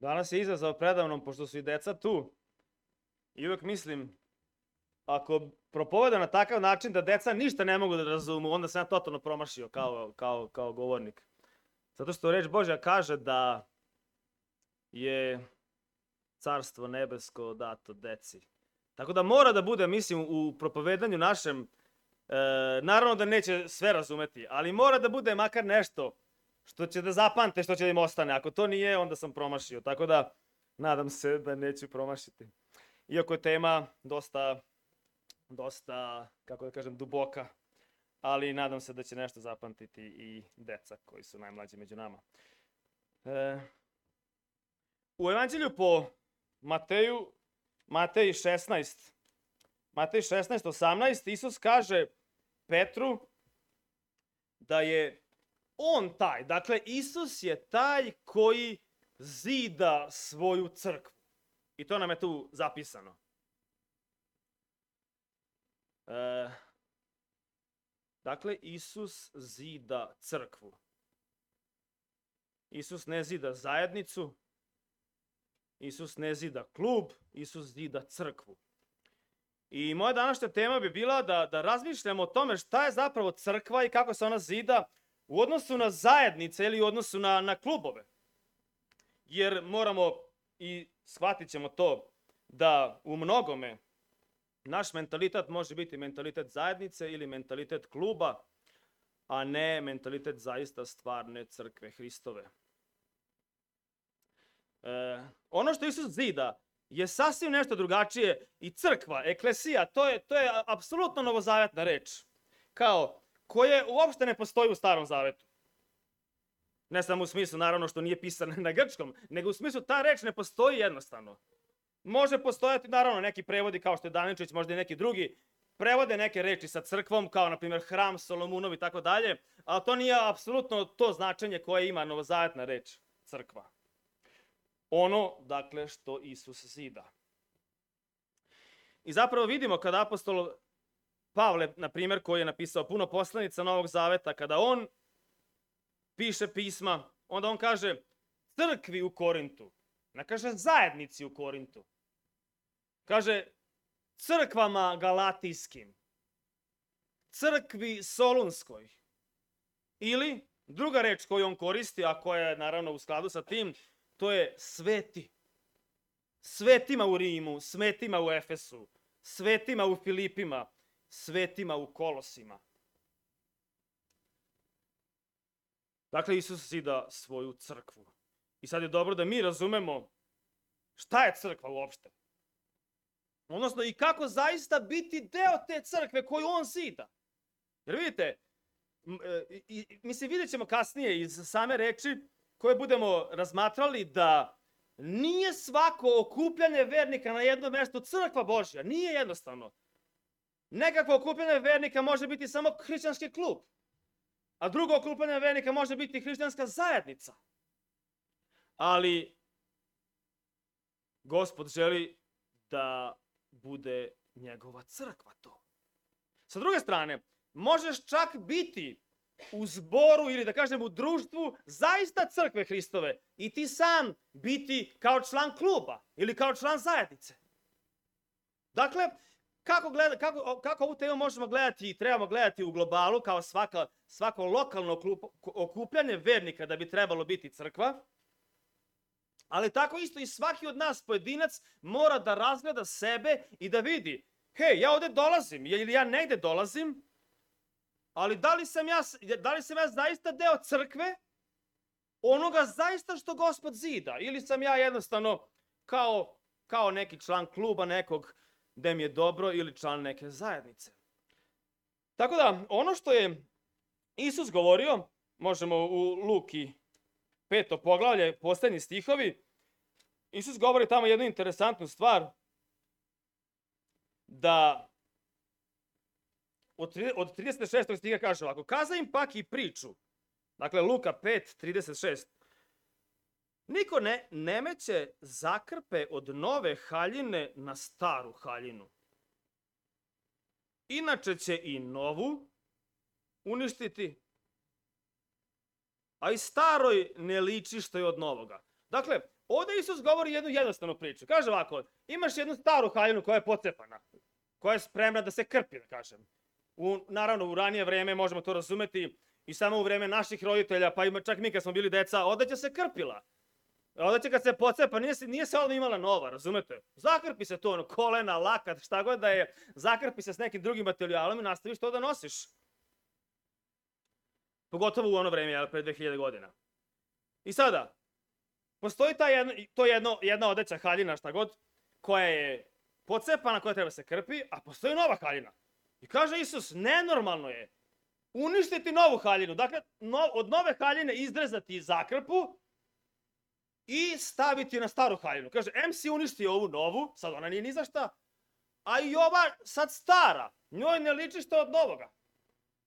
Danas je izazov predavnom, pošto su i deca tu. I uvek mislim, ako propovedam na takav način da deca ništa ne mogu da razumu, onda sam ja totalno promašio kao govornik. Zato što reč Božja kaže da je carstvo nebesko dato deci. Tako da mora da bude, mislim, u propovedanju našem, naravno da neće sve razumeti, ali mora da bude makar nešto što će da zapamte, što će da im ostane. Ako to nije, onda sam promašio. Tako da, nadam se da neću promašiti. Iako je tema dosta, kako da kažem, duboka, ali nadam se da će nešto zapamtiti i deca koji su najmlađi među nama. U Evanđelju po Matej 16:18, Isus kaže Petru da je on taj, dakle Isus je taj koji zida svoju crkvu. I to nam je tu zapisano. Dakle, Isus zida crkvu. Isus ne zida zajednicu, Isus ne zida klub, Isus zida crkvu. I moja današnja tema bi bila da razmišljamo o tome šta je zapravo crkva i kako se ona zida u odnosu na zajednice ili u odnosu na klubove. Jer moramo i shvatit ćemo to da u mnogome naš mentalitet može biti mentalitet zajednice ili mentalitet kluba, a ne mentalitet zaista stvarne crkve Hristove. Ono što Isus zida je sasvim nešto drugačije i crkva, eklesija, to je apsolutno novozavetna reč. Koje uopšte ne postoji u Starom Zavetu. Ne samo u smislu, naravno, što nije pisano na grčkom, nego u smislu ta reč ne postoji jednostavno. Može postojati, naravno, neki prevodi kao što je Daničić, možda i neki drugi, prevode neke reči sa crkvom, kao na primjer hram, Solomunov i tako dalje, ali to nije apsolutno to značenje koje ima novozavetna reč crkva. Ono, dakle, što Isus zida. I zapravo vidimo kada apostol Pavle, na primjer, koji je napisao puno poslanica Novog Zaveta, kada on piše pisma, onda on kaže crkvi u Korintu, ne kaže zajednici u Korintu. Kaže crkvama galatijskim, crkvi solunskoj. Ili, druga reč koju on koristi, a koja je naravno u skladu sa tim, to je sveti. Svetima u Rimu, svetima u Efesu, svetima u Filipima, svetima u Kolosima. Dakle, Isus zida svoju crkvu. I sad je dobro da mi razumemo šta je crkva uopšte. Odnosno i kako zaista biti deo te crkve koju on zida. Jer vidite, vidjet ćemo kasnije iz same reči koje budemo razmatrali da nije svako okupljanje vernika na jednom mjestu crkva Božja. Nije jednostavno. Nekakvo okupljanje vernika može biti samo hrišćanski klub. A drugo okupljanje vernika može biti hrišćanska zajednica. Ali Gospod želi da bude njegova crkva to. Sa druge strane, možeš čak biti u zboru ili da kažem u društvu zaista crkve Hristove i ti sam biti kao član kluba ili kao član zajednice. Dakle, kako ovu temu možemo gledati i trebamo gledati u globalu kao svako lokalno okupljanje vernika da bi trebalo biti crkva, ali tako isto i svaki od nas pojedinac mora da razgleda sebe i da vidi, hej, ja ovdje dolazim ili ja negdje dolazim, ali da li sam ja zaista deo crkve, onoga zaista što Gospod zida, ili sam ja jednostavno kao neki član kluba nekog gde mi je dobro ili član neke zajednice. Tako da, ono što je Isus govorio, možemo u Luki 5. poglavlje, posljednji stihovi, Isus govori tamo jednu interesantnu stvar, da od 36. stiha kaže ovako, kaza im pak i priču, dakle Luka 5:36, niko ne meće zakrpe od nove haljine na staru haljinu. Inače će i novu uništiti, a i staroj ne liči što je od novoga. Dakle, ovdje Isus govori jednu jednostavnu priču. Kaže ovako, imaš jednu staru haljinu koja je pocepana, koja je spremna da se krpi, da kažem. Naravno, u ranije vreme možemo to razumeti i samo u vreme naših roditelja, pa čak mi kad smo bili deca, odeća se krpila. Odeća kad se pocepa, nije se odmah imala nova, razumete? Zakrpi se to, kolena, lakat, šta god da je, zakrpi se s nekim drugim materijalom i nastaviš to da nosiš. Pogotovo u ono vreme, pre 2000 godina. I sada, postoji jedna odeća haljina, šta god, koja je pocepana, koja treba se krpi, a postoji nova haljina. I kaže Isus, nenormalno je uništiti novu haljinu. Dakle, od nove haljine izrezati zakrpu i staviti na staru haljinu. Kaže, em si uništio ovu novu, sad ona nije ni za šta, a i ova sad stara, njoj ne liči što od novoga.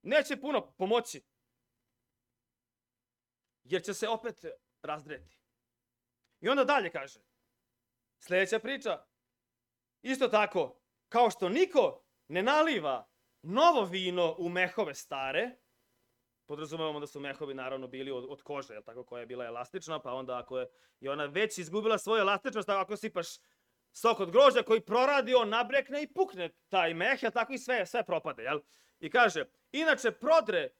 Neće puno pomoći. Jer će se opet razdreti. I onda dalje kaže, sljedeća priča, isto tako, kao što niko ne naliva novo vino u mehove stare, podrazumevamo da su mehovi naravno bili od kože, jel tako, koja je bila elastična, pa onda ako je ona već izgubila svoju elastičnost, ako sipaš sok od grožđa koji proradi, on nabrekne i pukne taj meh, jel tako, i sve propade, jel? I kaže, inače prodre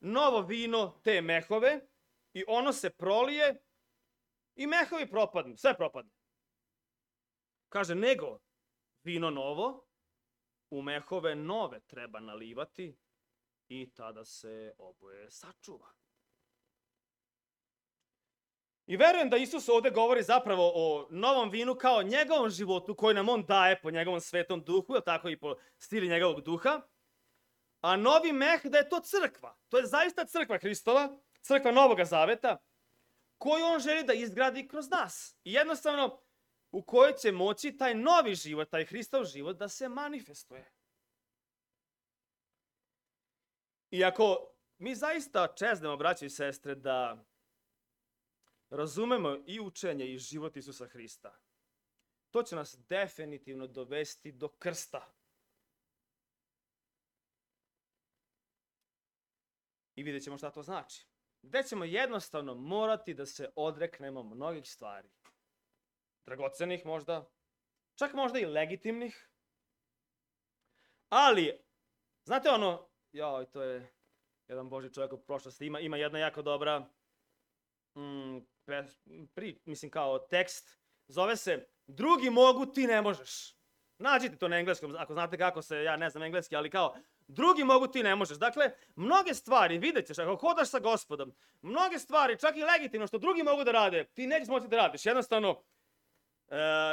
novo vino te mehove i ono se prolije i mehovi propadnu, sve propadne. Kaže, nego vino novo u mehove nove treba nalivati i tada se oboje sačuva. I verujem da Isus ovdje govori zapravo o novom vinu kao njegovom životu koji nam on daje po njegovom svetom duhu, ili tako i po stili njegovog duha. A novi meh da je to crkva. To je zaista crkva Hristova, crkva Novoga Zaveta, koju on želi da izgradi kroz nas. I jednostavno u kojoj će moći taj novi život, taj Hristov život da se manifestuje. I ako mi zaista čeznemo, braće i sestre, da razumemo i učenje i život Isusa Hrista, to će nas definitivno dovesti do krsta. I vidjet ćemo šta to znači. Gde ćemo jednostavno morati da se odreknemo mnogih stvari. Dragocenih možda, čak možda i legitimnih. Ali, znate ono, to je jedan Božji čovjek u prošlosti, ima jedna jako dobra kao tekst, zove se Drugi mogu, ti ne možeš. Nađite to na engleskom, ako znate kako se, ja ne znam engleski, ali kao drugi mogu, ti ne možeš. Dakle, mnoge stvari, vidjet ćeš, ako hodaš sa Gospodom, mnoge stvari, čak i legitimno, što drugi mogu da rade, ti nećeš moći da radiš. Jednostavno,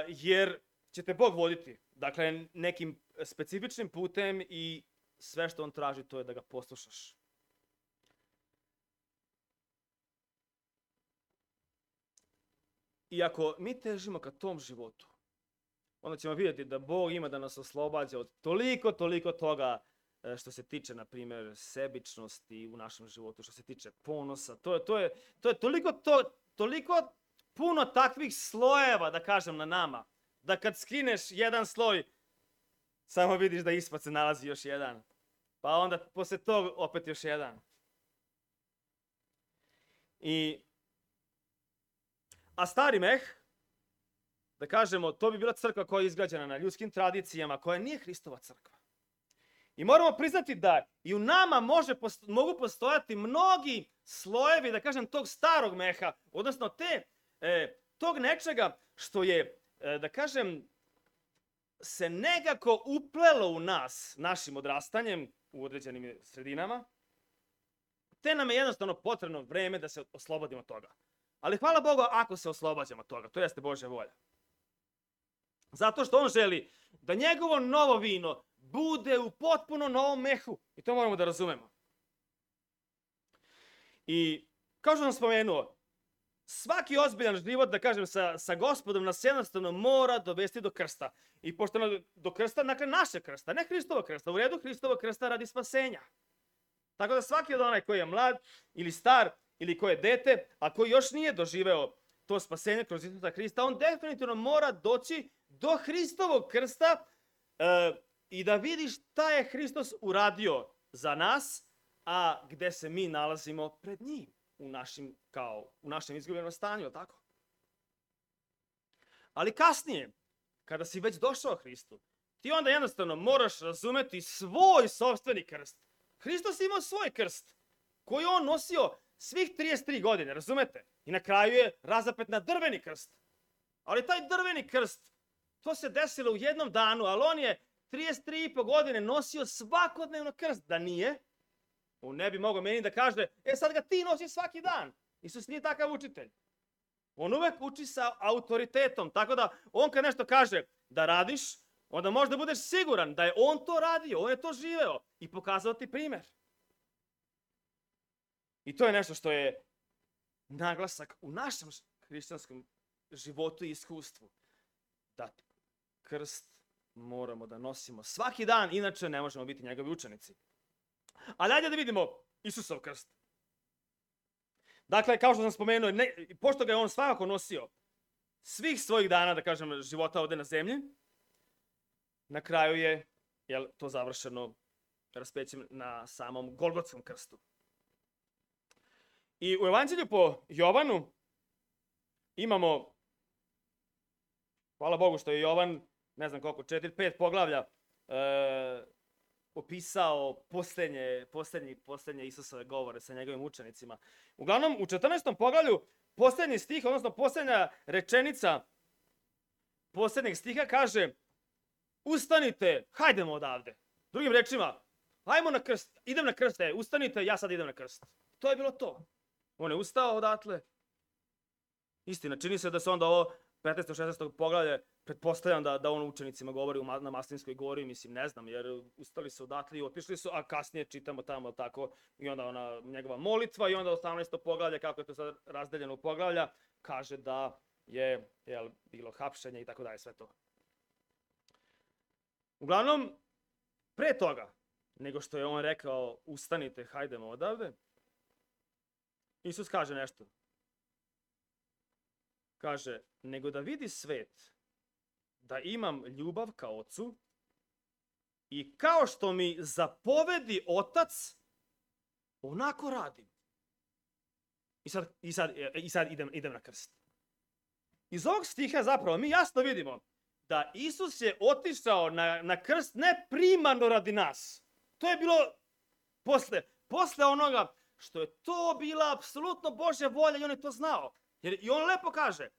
jer će te Bog voditi. Dakle, nekim specifičnim putem i sve što on traži, to je da ga poslušaš. I ako mi težimo ka tom životu, onda ćemo vidjeti da Bog ima da nas oslobađa od toliko toga što se tiče, na primjer, sebičnosti u našem životu, što se tiče ponosa. To je toliko puno takvih slojeva, da kažem, na nama, da kad skineš jedan sloj, samo vidiš da ispod se nalazi još jedan. Pa onda posle tog opet još jedan. A stari meh, da kažemo, to bi bila crkva koja je izgrađena na ljudskim tradicijama, koja nije Hristova crkva. I moramo priznati da i u nama mogu postojati mnogi slojevi, da kažem, tog starog meha, odnosno tog nečega što je, da kažem, se nekako uplelo u nas, našim odrastanjem u određenim sredinama, te nam je jednostavno potrebno vreme da se oslobodimo toga. Ali hvala Bogu ako se oslobađamo toga, to jeste Božja volja. Zato što on želi da njegovo novo vino bude u potpuno novom mehu. I to moramo da razumemo. I kao što sam spomenuo, svaki ozbiljan život, da kažem, sa Gospodom nas jednostavno mora dovesti do krsta. I pošto do krsta, dakle naše krsta, ne Hristova krsta, u redu Hristova krsta radi spasenja. Tako da svaki od onaj koji je mlad ili star ili koji je dete, a koji još nije doživeo to spasenje kroz Isusa Hrista, on definitivno mora doći do Hristovog krsta i da vidi šta je Hristos uradio za nas, a gde se mi nalazimo pred njim u našem izgubljenom stanju, tako? Ali kasnije, kada si već došao Hristu, ti onda jednostavno moraš razumeti svoj sopstveni krst. Hristos imao svoj krst, koji on nosio svih 33 godine, razumete? I na kraju je razapet na drveni krst. Ali taj drveni krst, to se desilo u jednom danu, ali on je 33,5 godine nosio svakodnevno krst. Da nije, on ne bi mogao meni da kaže, sad ga ti nosiš svaki dan. Isus nije takav učitelj. On uvek uči sa autoritetom, tako da on kad nešto kaže da radiš, onda možda budeš siguran da je on to radio, on je to živeo i pokazao ti primer. I to je nešto što je naglasak u našem hrišćanskom životu i iskustvu. Da krst moramo da nosimo svaki dan, inače ne možemo biti njegovi učenici. Ali ajde da vidimo Isusov krst. Dakle, kao što sam spomenuo, pošto ga je on svakako nosio svih svojih dana, da kažem, života ovde na zemlji, na kraju je to završeno raspećem na samom Golgotskom krstu. I u Evanđelju po Jovanu imamo, hvala Bogu što je Jovan, ne znam koliko, 4-5 poglavlja opisao poslednje Isusove govore sa njegovim učenicima. Uglavnom, u 14. poglavlju poslednji stih, odnosno poslednja rečenica poslednjeg stiha kaže: ustanite, hajdemo odavde. Drugim rečima, hajmo na krst, idem na krst, ustanite, ja sad idem na krst. To je bilo to. On je ustao odatle. Istina, čini se da se onda ovo 15. 16. poglavlje, pretpostavljam da on učenicima govori na Maslinskoj gori, mislim, ne znam, jer ustali su odatle i otišli su, a kasnije čitamo tamo tako i onda ona njegova molitva i onda 18. poglavlje, kako je to sad razdeljeno u poglavlja, kaže da je bilo hapšenje i tako dalje, sve to. Uglavnom, pre toga, nego što je on rekao ustanite, hajdemo odavde, Isus kaže nešto. Kaže, nego da vidi svet da imam ljubav ka Ocu i kao što mi zapovedi Otac, onako radim. I sad idem na krst. Iz ovog stiha zapravo mi jasno vidimo da Isus je otišao na krst ne primarno radi nas. To je bilo posle onoga što je to bila apsolutno Božja volja i on je to znao. Jer i on lepo kaže,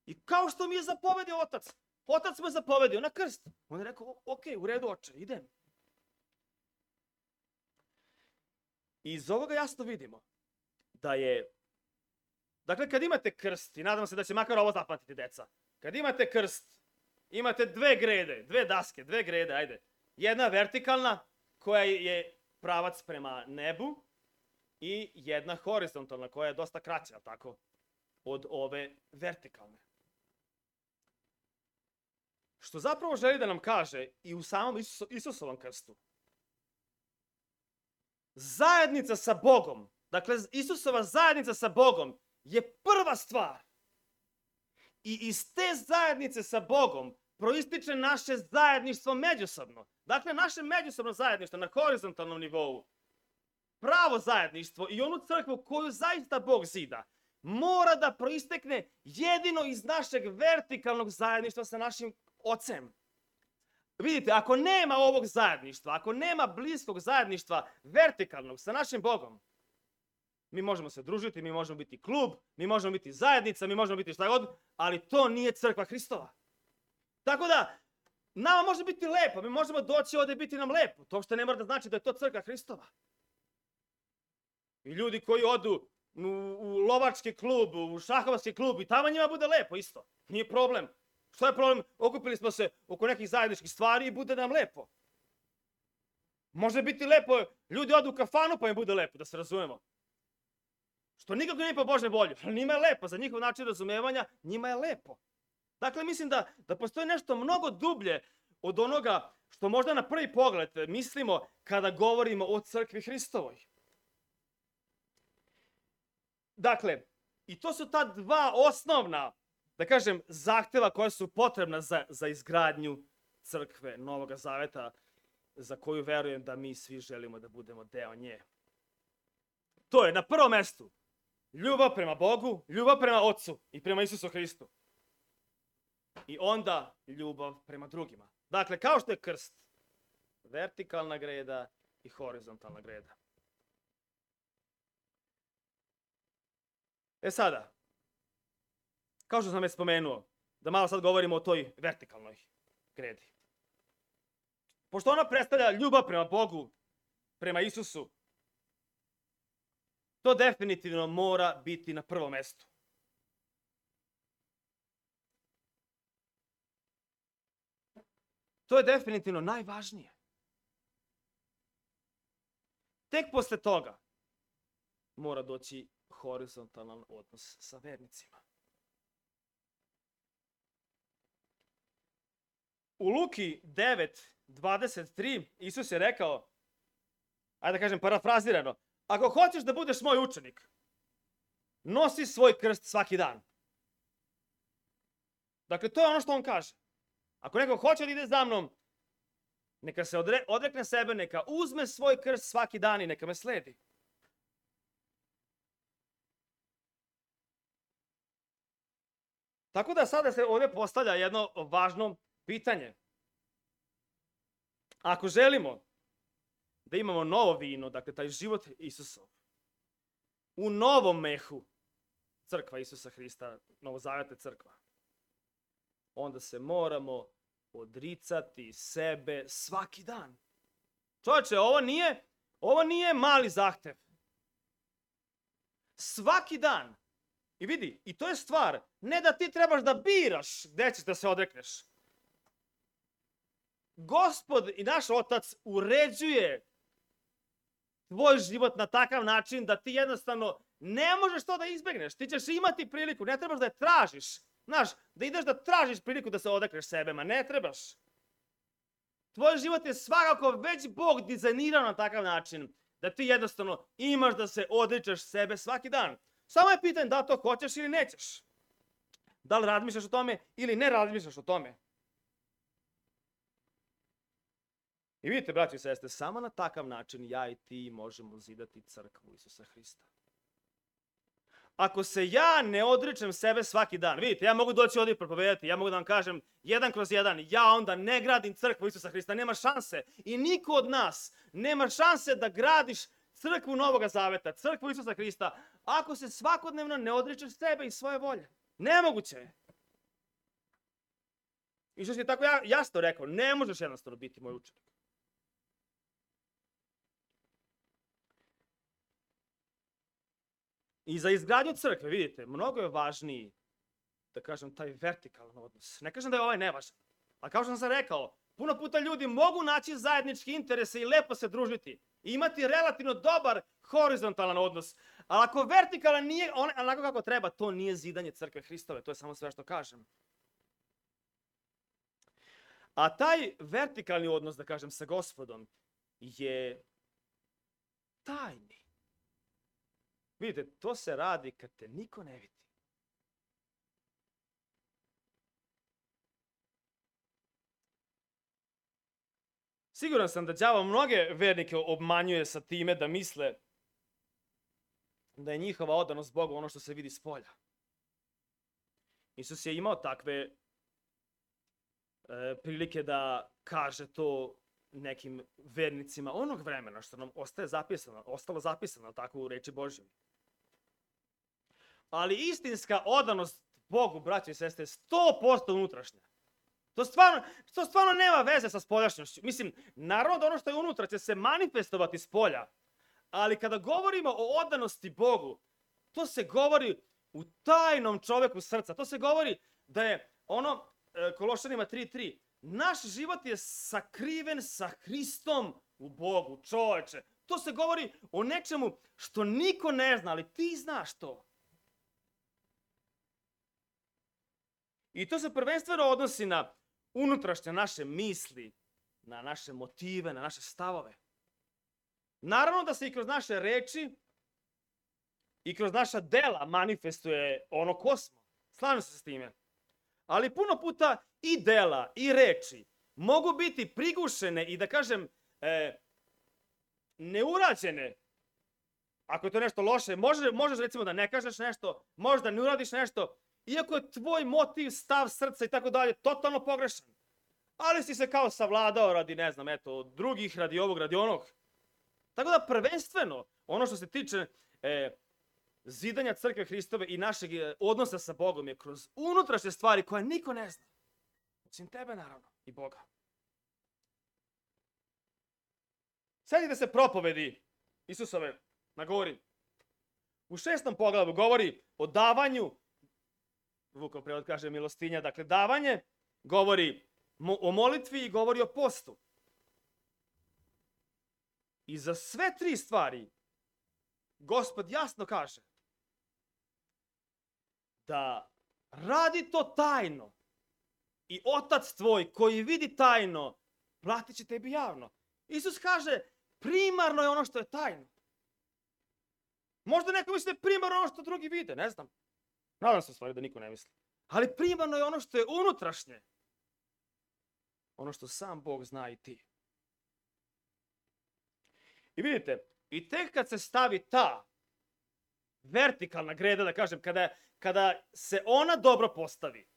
i kao što mi je zapovedio Otac, Otac me zapovedio na krst. On je rekao, ok, u redu oče, idem. I iz ovoga jasno vidimo da je, dakle kad imate krst, i nadam se da će makar ovo zapamtiti deca, kad imate krst, imate dve grede, ajde. Jedna vertikalna koja je pravac prema nebu i jedna horizontalna koja je dosta kraća, tako, od ove vertikalne. Što zapravo želi da nam kaže i u samom Isusovom krstu. Zajednica sa Bogom, dakle Isusova zajednica sa Bogom je prva stvar. I iz te zajednice sa Bogom proističe naše zajedništvo međusobno. Dakle, naše međusobno zajedništvo na horizontalnom nivou, pravo zajedništvo i onu crkvu koju zaista Bog zida, mora da proistekne jedino iz našeg vertikalnog zajedništva sa našim Ocem. Vidite, ako nema ovog zajedništva, ako nema bliskog zajedništva vertikalnog sa našim Bogom, mi možemo se družiti, mi možemo biti klub, mi možemo biti zajednica, mi možemo biti šta god, ali to nije crkva Hristova. Tako da, nama može biti lepo, mi možemo doći ovde i biti nam lepo. To što ne mora da znači da je to crkva Hristova. I ljudi koji odu u lovački klub, u šahovski klub i tamo njima bude lepo isto. Nije problem. Što je problem? Okupili smo se oko nekih zajedničkih stvari i bude nam lepo. Može biti lepo, ljudi odu u kafanu pa im bude lepo, da se razumemo. Što nikako nije po Božoj volji, ali njima je lepo, za njihov način razumevanja njima je lepo. Dakle, mislim da postoji nešto mnogo dublje od onoga što možda na prvi pogled mislimo kada govorimo o crkvi Hristovoj. Dakle, i to su ta dva osnovna, da kažem, zahteva koja su potrebna za izgradnju crkve Novog Zaveta, za koju verujem da mi svi želimo da budemo deo nje. To je na prvom mestu ljubav prema Bogu, ljubav prema Otcu i prema Isusu Hristu. i onda ljubav prema drugima. Dakle, kao što je krst, vertikalna greda i horizontalna greda. Sada, kao što sam već spomenuo, da malo sad govorimo o toj vertikalnoj gredi. Pošto ona predstavlja ljubav prema Bogu, prema Isusu, to definitivno mora biti na prvom mestu. To je definitivno najvažnije. Tek posle toga mora doći horizontalan odnos sa vernicima. U Luki 9:23 Isus je rekao, ajde da kažem parafrazirano, ako hoćeš da budeš moj učenik, nosi svoj krst svaki dan. Dakle, to je ono što on kaže. Ako neko hoće da ide za mnom, neka se odrekne sebe, neka uzme svoj krst svaki dan i neka me sledi. Tako da sada se ovdje postavlja jedno važno pitanje. Ako želimo da imamo novo vino, dakle taj život Isusov, u novom mehu, crkva Isusa Hrista, novozavetna crkva, onda se moramo odricati sebe svaki dan. Čovječe, ovo nije mali zahtev. Svaki dan. I vidi, i to je stvar, ne da ti trebaš da biraš gde ćeš da se odrekneš. Gospod i naš Otac uređuje tvoj život na takav način da ti jednostavno ne možeš to da izbegneš. Ti ćeš imati priliku, ne trebaš da je tražiš. Znaš, da ideš da tražiš priliku da se odrekneš sebe, ma ne trebaš. Tvoj život je svakako već Bog dizajnirao na takav način da ti jednostavno imaš da se odričeš sebe svaki dan. Samo je pitanje da to hoćeš ili nećeš. Da li razmišljaš o tome ili ne razmišljaš o tome. I vidite, braći i sestre, samo na takav način ja i ti možemo zidati crkvu Isusa Hrista. Ako se ja ne odričem sebe svaki dan, vidite, ja mogu doći ovdje i propovedati, ja mogu da vam kažem 1/1, ja onda ne gradim crkvu Isusa Hrista, nema šanse. I niko od nas nema šanse da gradiš crkvu Novoga Zaveta, crkvu Isusa Hrista, ako se svakodnevno ne odričeš sebe i svoje volje. Nemoguće je. Isus je tako jasno rekao, ne možeš jednostavno biti moj učenik. I za izgradnju crkve, vidite, mnogo je važniji, da kažem, taj vertikalan odnos. Ne kažem da je ovaj nevažan, ali kao što sam rekao, puno puta ljudi mogu naći zajednički interese i lepo se družiti i imati relativno dobar horizontalan odnos. Ali ako vertikalan nije onako kako treba, to nije zidanje crkve Hristove, to je samo sve što kažem. A taj vertikalni odnos, da kažem, sa Gospodom je tajni. Vidite, to se radi kad te niko ne vidi. Siguran sam da đavo mnoge vernike obmanjuje sa time da misle da je njihova odanost Bogu ono što se vidi s polja. Isus je imao takve prilike da kaže to nekim vernicima onog vremena, što nam ostalo zapisano tako u reči Božjoj. Ali istinska odanost Bogu, braći i sestre, je 100% unutrašnja. To stvarno nema veze sa spoljašnjošću. Mislim, naravno da ono što je unutra će se manifestovati s polja, ali kada govorimo o odanosti Bogu, to se govori u tajnom čoveku srca. To se govori da je ono, Kološanima 3:3, naš život je sakriven sa Hristom u Bogu, čoveče. To se govori o nečemu što niko ne zna, ali ti znaš to. I to se prvenstveno odnosi na unutrašnje naše misli, na naše motive, na naše stavove. Naravno da se i kroz naše reči i kroz naša dela manifestuje ono ko smo. Slažem se s time. Ali puno puta i dela i reči mogu biti prigušene i da kažem neurađene. Ako je to nešto loše, možeš recimo da ne kažeš nešto, možeš da ne uradiš nešto iako je tvoj motiv, stav, srca i tako dalje totalno pogrešan. Ali si se kao savladao radi, ne znam, eto, drugih, radi ovog, radi onog. Tako da prvenstveno, ono što se tiče zidanja crkve Hristove i našeg odnosa sa Bogom je kroz unutrašnje stvari koje niko ne zna. Osim tebe, naravno, i Boga. Sjetite se propovedi Isusove na gori. U 6. poglavlju govori o davanju, Vukov prevod kaže milostinja, dakle davanje, govori o molitvi i govori o postu. I za sve 3 stvari Gospod jasno kaže da radi to tajno i Otac tvoj koji vidi tajno platit će tebi javno. Isus kaže primarno je ono što je tajno. Možda neko misli da je primarno ono što drugi vide, ne znam. Nadam se u stvari da niko ne misli. Ali primarno je ono što je unutrašnje. Ono što sam Bog zna i ti. I vidite, i tek kad se stavi ta vertikalna greda, da kažem, kada se ona dobro postavi,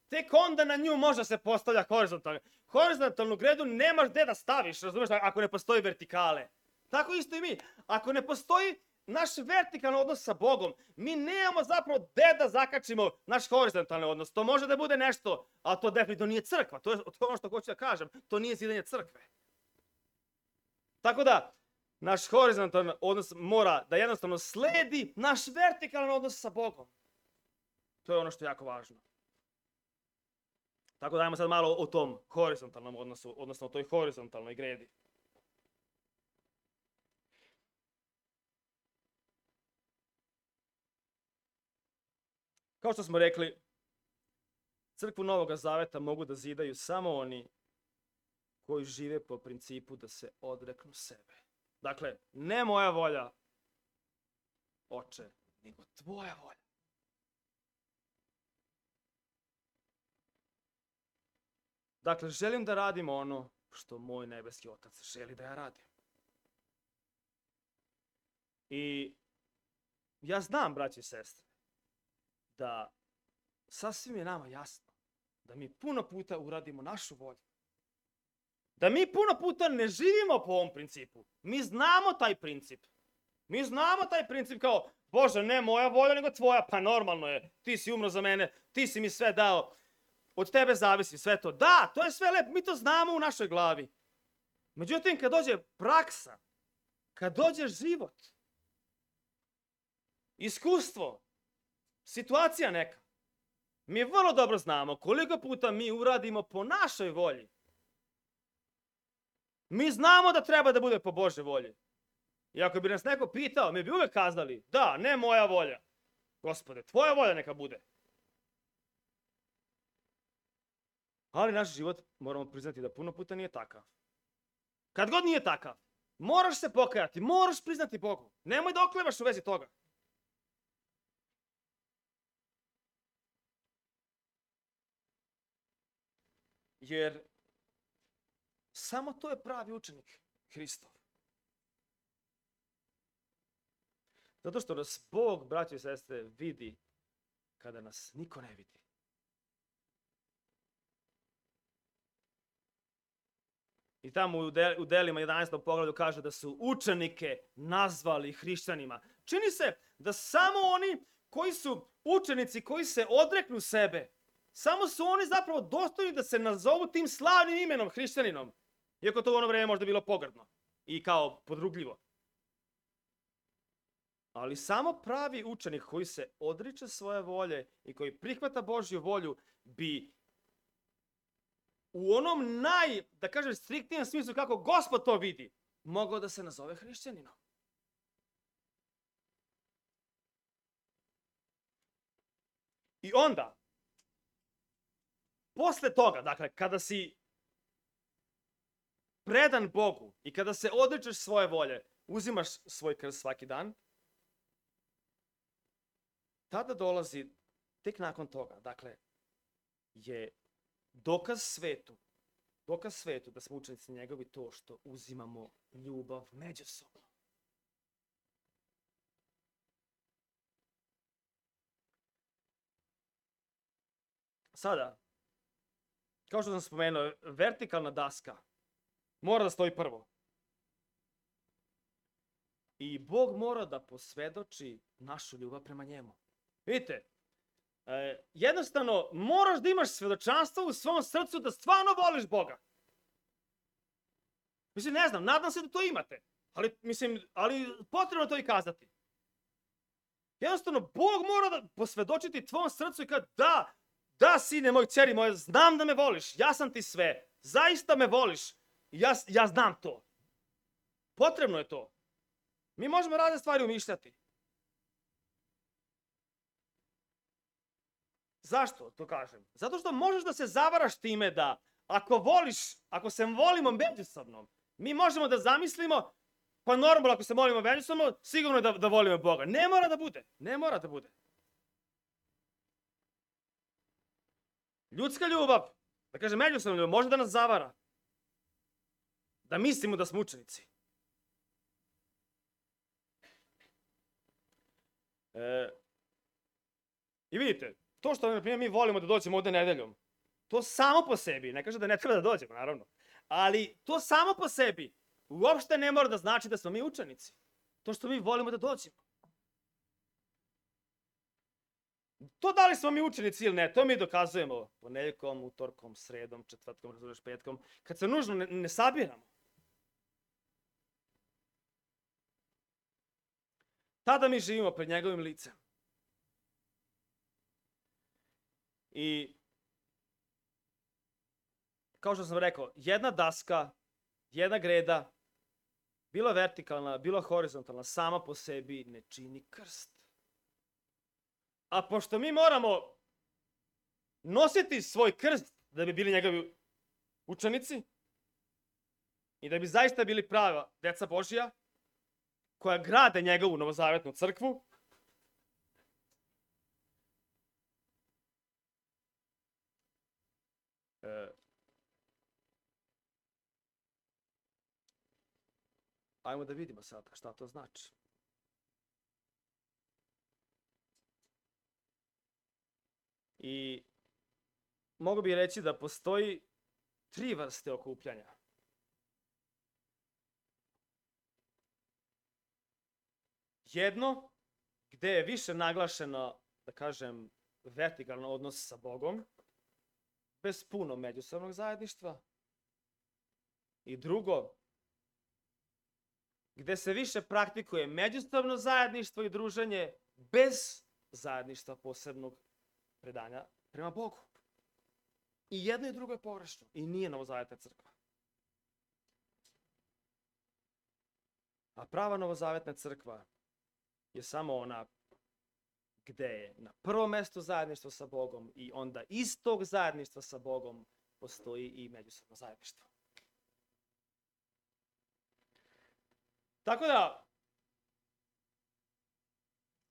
tek onda na nju može se postavlja horizontalno. Horizontalnu gredu nemaš gde da staviš, razumiješ, ako ne postoji vertikale. Tako isto i mi. Ako ne postoji naš vertikalni odnos sa Bogom, mi nemamo zapravo gde da zakačimo naš horizontalni odnos. To može da bude nešto, ali to definitivno nije crkva. To je ono što hoću da kažem. To nije zidanje crkve. Tako da, naš horizontalni odnos mora da jednostavno sledi naš vertikalan odnos sa Bogom. To je ono što je jako važno. Tako da ajmo sad malo o tom horizontalnom odnosu, odnosno o toj horizontalnoj gredi. Kao što smo rekli, crkvu Novog Zaveta mogu da zidaju samo oni koji žive po principu da se odreknu sebe. Dakle, ne moja volja, Oče, nego tvoja volja. Dakle, želim da radim ono što moj nebeski Otac želi da ja radim. I ja znam, braći i sestre, da sasvim je nama jasno da mi puno puta uradimo našu volju. Da mi puno puta ne živimo po ovom principu. Mi znamo taj princip. Mi znamo taj princip kao, Bože, ne moja volja, nego tvoja. Pa normalno je, ti si umro za mene, ti si mi sve dao. Od tebe zavisi sve to. Da, to je sve lepo, mi to znamo u našoj glavi. Međutim, kad dođe praksa, kad dođe život, iskustvo, situacija neka, mi vrlo dobro znamo koliko puta mi uradimo po našoj volji. Mi znamo da treba da bude po Božoj volji. I ako bi nas neko pitao, mi bi uvek kazali, da, ne moja volja. Gospode, tvoja volja neka bude. Ali naš život, moramo priznati da puno puta nije takav. Kad god nije takav, moraš se pokajati, moraš priznati Bogu. Nemoj da oklevaš u vezi toga. Jer samo to je pravi učenik Hristov. Zato što nas Bog, braći i sestre, vidi kada nas niko ne vidi. I tamo u delima 11. poglavlju kaže da su učenike nazvali hrišćanima. Čini se da samo oni koji su učenici, koji se odreknu sebe, samo su oni zapravo dostojni da se nazovu tim slavnim imenom hrišćaninom. Iako to u ono vreme možda bilo pogrdno i kao podrugljivo. Ali samo pravi učenik koji se odriče svoje volje i koji prihvata Božju volju bi u onom da kažem, striktnijem smislu kako Gospod to vidi, mogao da se nazove hrišćaninom. I onda, posle toga, dakle, kada si predan Bogu i kada se odričeš svoje volje, uzimaš svoj krst svaki dan, tada dolazi, tek nakon toga, dakle, je dokaz svetu da smo učenici njegovi to što uzimamo ljubav međusobno. Sada, kao što sam spomenuo, vertikalna daska mora da stoji prvo. I Bog mora da posvedoči našu ljubav prema njemu. Vidite, jednostavno moraš da imaš svedočanstvo u svom srcu da stvarno voliš Boga. Mislim, ne znam, nadam se da to imate, ali potrebno to i kazati. Jednostavno, Bog mora da posvedočiti tvom srcu i kada da, sine moj, kćeri moja, znam da me voliš, ja sam ti sve, zaista me voliš, ja znam to. Potrebno je to. Mi možemo razne stvari umišljati. Zašto to kažem? Zato što možeš da se zavaraš time da ako se volimo međusobno, mi možemo da zamislimo, pa normalno ako se molimo međusobno, sigurno je da volimo Boga. Ne mora da bude. Ne mora da bude. Ljudska ljubav, da kažem međusobna ljubav, može da nas zavara. Da mislimo da smo učenici. I vidite, to što mi volimo da dođemo ovde nedeljom, to samo po sebi, ne kaže da ne treba da dođemo, naravno, ali to samo po sebi uopšte ne mora da znači da smo mi učenici. To što mi volimo da dođemo. To da li smo mi učenici ili ne, to mi dokazujemo ponedeljkom, utorkom, sredom, četvrtkom, razumeš, petkom, kad se nužno ne sabiramo. Tada mi živimo pred njegovim licem. I kao što sam rekao, jedna daska, jedna greda, bilo vertikalna, bilo horizontalna, sama po sebi ne čini krst. A pošto mi moramo nositi svoj krst da bi bili njegovi učenici i da bi zaista bili prava deca Božija koja grade njegovu novozavetnu crkvu, ajmo da vidimo sada šta to znači. I mogu bih reći da postoji 3 vrste okupljanja. Jedno, gde je više naglašeno, da kažem, vertikalan odnos sa Bogom, bez puno međusobnog zajedništva. I drugo, gde se više praktikuje međusobno zajedništvo i druženje bez zajedništva posebnog predanja prema Bogu. I jedno i drugo je pogrešno i nije novozavetna crkva. A prava novozavetna crkva je samo ona gde je na prvom mestu zajedništvo sa Bogom i onda iz tog zajedništva sa Bogom postoji i međusobno zajedništvo. Tako da,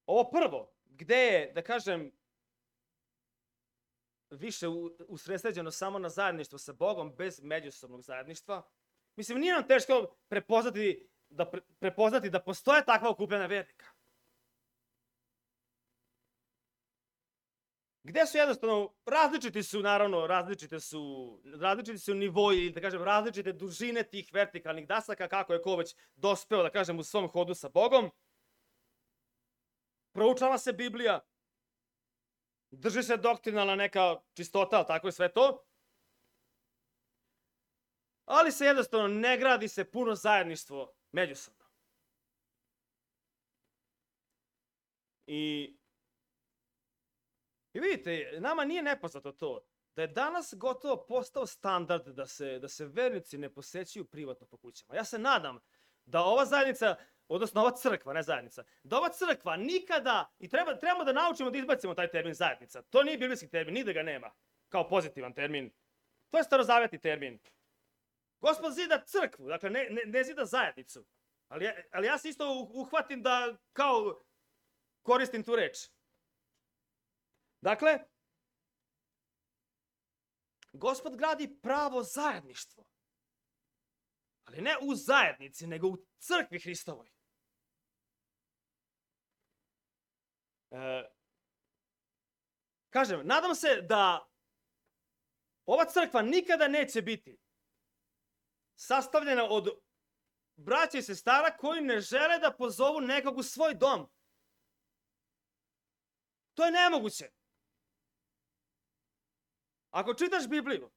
ovo prvo, gde je, da kažem, više usredsređeno samo na zajedništvo sa Bogom bez međusobnog zajedništva, mislim, nije nam teško prepoznati da postoje takva okupljena vernika. Gde su jednostavno, različiti su nivoji, ili da kažem, različite dužine tih vertikalnih dasaka, kako je ko već dospeo, da kažem, u svom hodu sa Bogom. Proučava se Biblija, drži se doktrinalna neka čistota, tako je sve to. Ali se jednostavno ne gradi se puno zajedništvo međusobno. I vidite, nama nije nepoznato to, da je danas gotovo postao standard da se vernici ne posećuju privatno po kućama. Ja se nadam da ova zajednica, odnosno ova crkva, ne zajednica, da ova crkva nikada, i trebamo da naučimo da izbacimo taj termin zajednica. To nije biblijski termin, nigde ga nema kao pozitivan termin. To je starozavetni termin. Gospod zida crkvu, dakle ne zida zajednicu. Ali ja se isto uhvatim da kao koristim tu reč. Dakle, Gospod gradi pravo zajedništvo. Ali ne u zajednici, nego u crkvi Hristovoj. Kažem, nadam se da ova crkva nikada neće biti sastavljena od braća i sestara koji ne žele da pozovu nekog u svoj dom. To je nemoguće. Ako čitaš Bibliju,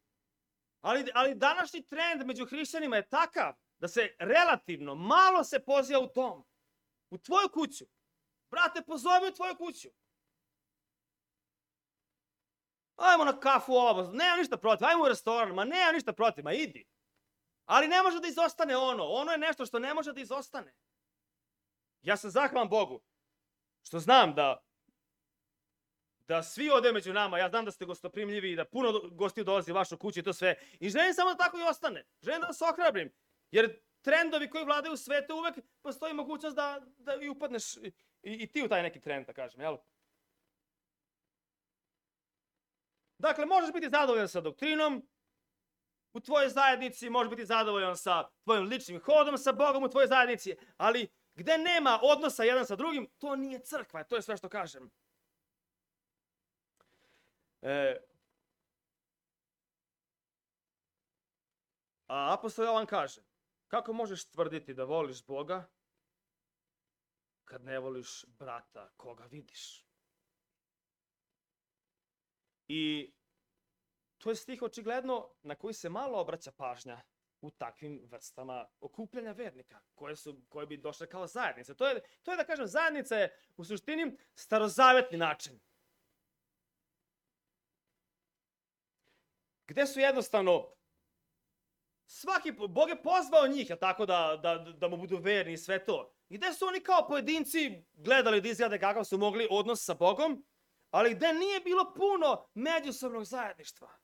ali današnji trend među hrišćanima je takav da se relativno malo se poziva u dom, u tvoju kuću. Brate, pozovi u tvoju kuću. Ajmo na kafu ovamo, nemam ništa protiv, ajmo u restoran, ma nemam ništa protiv, ma idi. Ali ne može da izostane ono je nešto što ne može da izostane. Ja sam zahvalan Bogu što znam da svi ovde među nama, ja znam da ste gostoprimljivi i da puno gostiju dolazi u vašu kuću i to sve. I želim samo da tako i ostane. Želim da vas ohrabrim. Jer trendovi koji vladaju u svetu uvek postoji mogućnost da i upadneš i ti u taj neki trend, da kažem, jel? Dakle, možeš biti zadovoljan sa doktrinom u tvojoj zajednici, možeš biti zadovoljan sa tvojim ličnim hodom sa Bogom u tvojoj zajednici, ali gde nema odnosa jedan sa drugim, to nije crkva, to je sve što kažem. A apostol Jovan kaže, kako možeš tvrditi da voliš Boga kad ne voliš brata koga vidiš? I to je stih očigledno na koji se malo obraća pažnja u takvim vrstama okupljanja vernika, koje bi došle kao zajednice. To je da kažem, zajednica je u suštini starozavetni način. Gde su jednostavno, Bog je pozvao njih, tako da mu budu verni i sve to. I gde su oni kao pojedinci gledali da izgleda kakav su mogli odnos sa Bogom, ali gde nije bilo puno međusobnog zajedništva.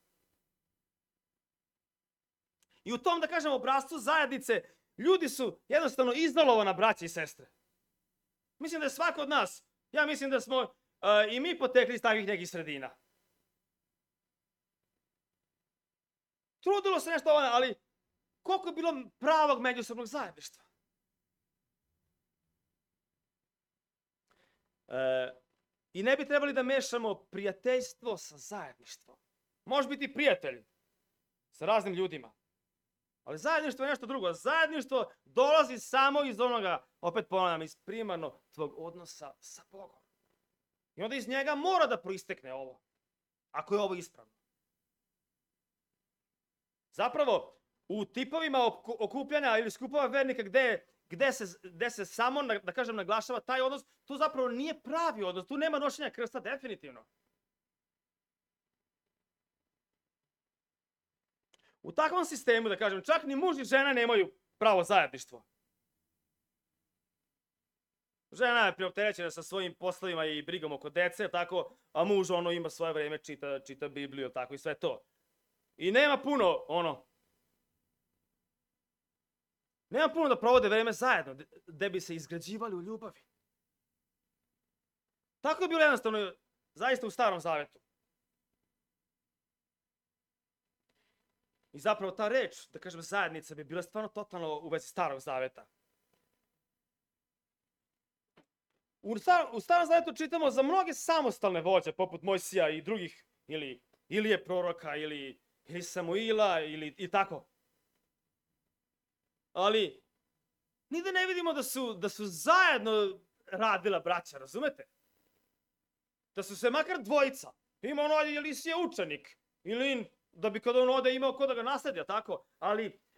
I u tom, da kažem, obrascu zajednice, ljudi su jednostavno izolovana braća i sestre. Mislim da je svako od nas, ja mislim da smo i mi potekli iz takvih nekih sredina. Trudilo se nešto, ali koliko je bilo pravog međusobnog zajedništva? I ne bi trebali da mešamo prijateljstvo sa zajedništvom. Može biti prijatelj sa raznim ljudima, ali zajedništvo je nešto drugo. Zajedništvo dolazi samo iz onoga, opet ponavljam, iz primarno tvog odnosa sa Bogom. I onda iz njega mora da proistekne ovo, ako je ovo ispravno. Zapravo, u tipovima okupljanja ili skupova vernika gde se samo, da kažem, naglašava taj odnos, tu zapravo nije pravi odnos, tu nema nošenja krsta definitivno. U takvom sistemu, da kažem, čak ni muž i žena nemaju pravo zajedništvo. Žena je preopterećena sa svojim poslovima i brigom oko dece, tako, a muž ima svoje vreme, čita Bibliju, tako i sve to. I nema puno, nema puno da provode vreme zajedno, gde bi se izgrađivali u ljubavi. Tako je bilo jednostavno, zaista u Starom Zavetu. I zapravo ta reč, da kažem, zajednica bi bila stvarno totalno u vezi Starog Zaveta. U Starom Zavetu čitamo za mnoge samostalne vođe, poput Mojsija i drugih, ili Ilije proroka, ili Samuila, i tako. Ali, nigde ne vidimo da su zajedno radila braća, razumete? Da su se makar dvojica. Ima Elisija učenik, ili da bi kada on ode imao ko da ga nasledi, tako?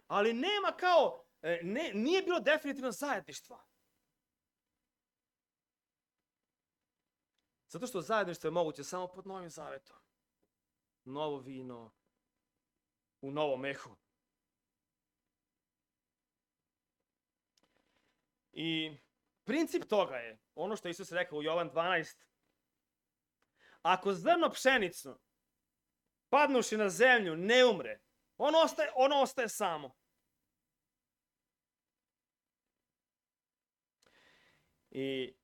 Ali nema kao, nije bilo definitivno zajedništva. Zato što zajedništvo je moguće samo pod Novim Zavetom. Novo vino u novom mehu. I princip toga je, ono što Isus rekao u Jovan 12, ako zrno pšenicu padnuši na zemlju ne umre, ono ostaje samo. I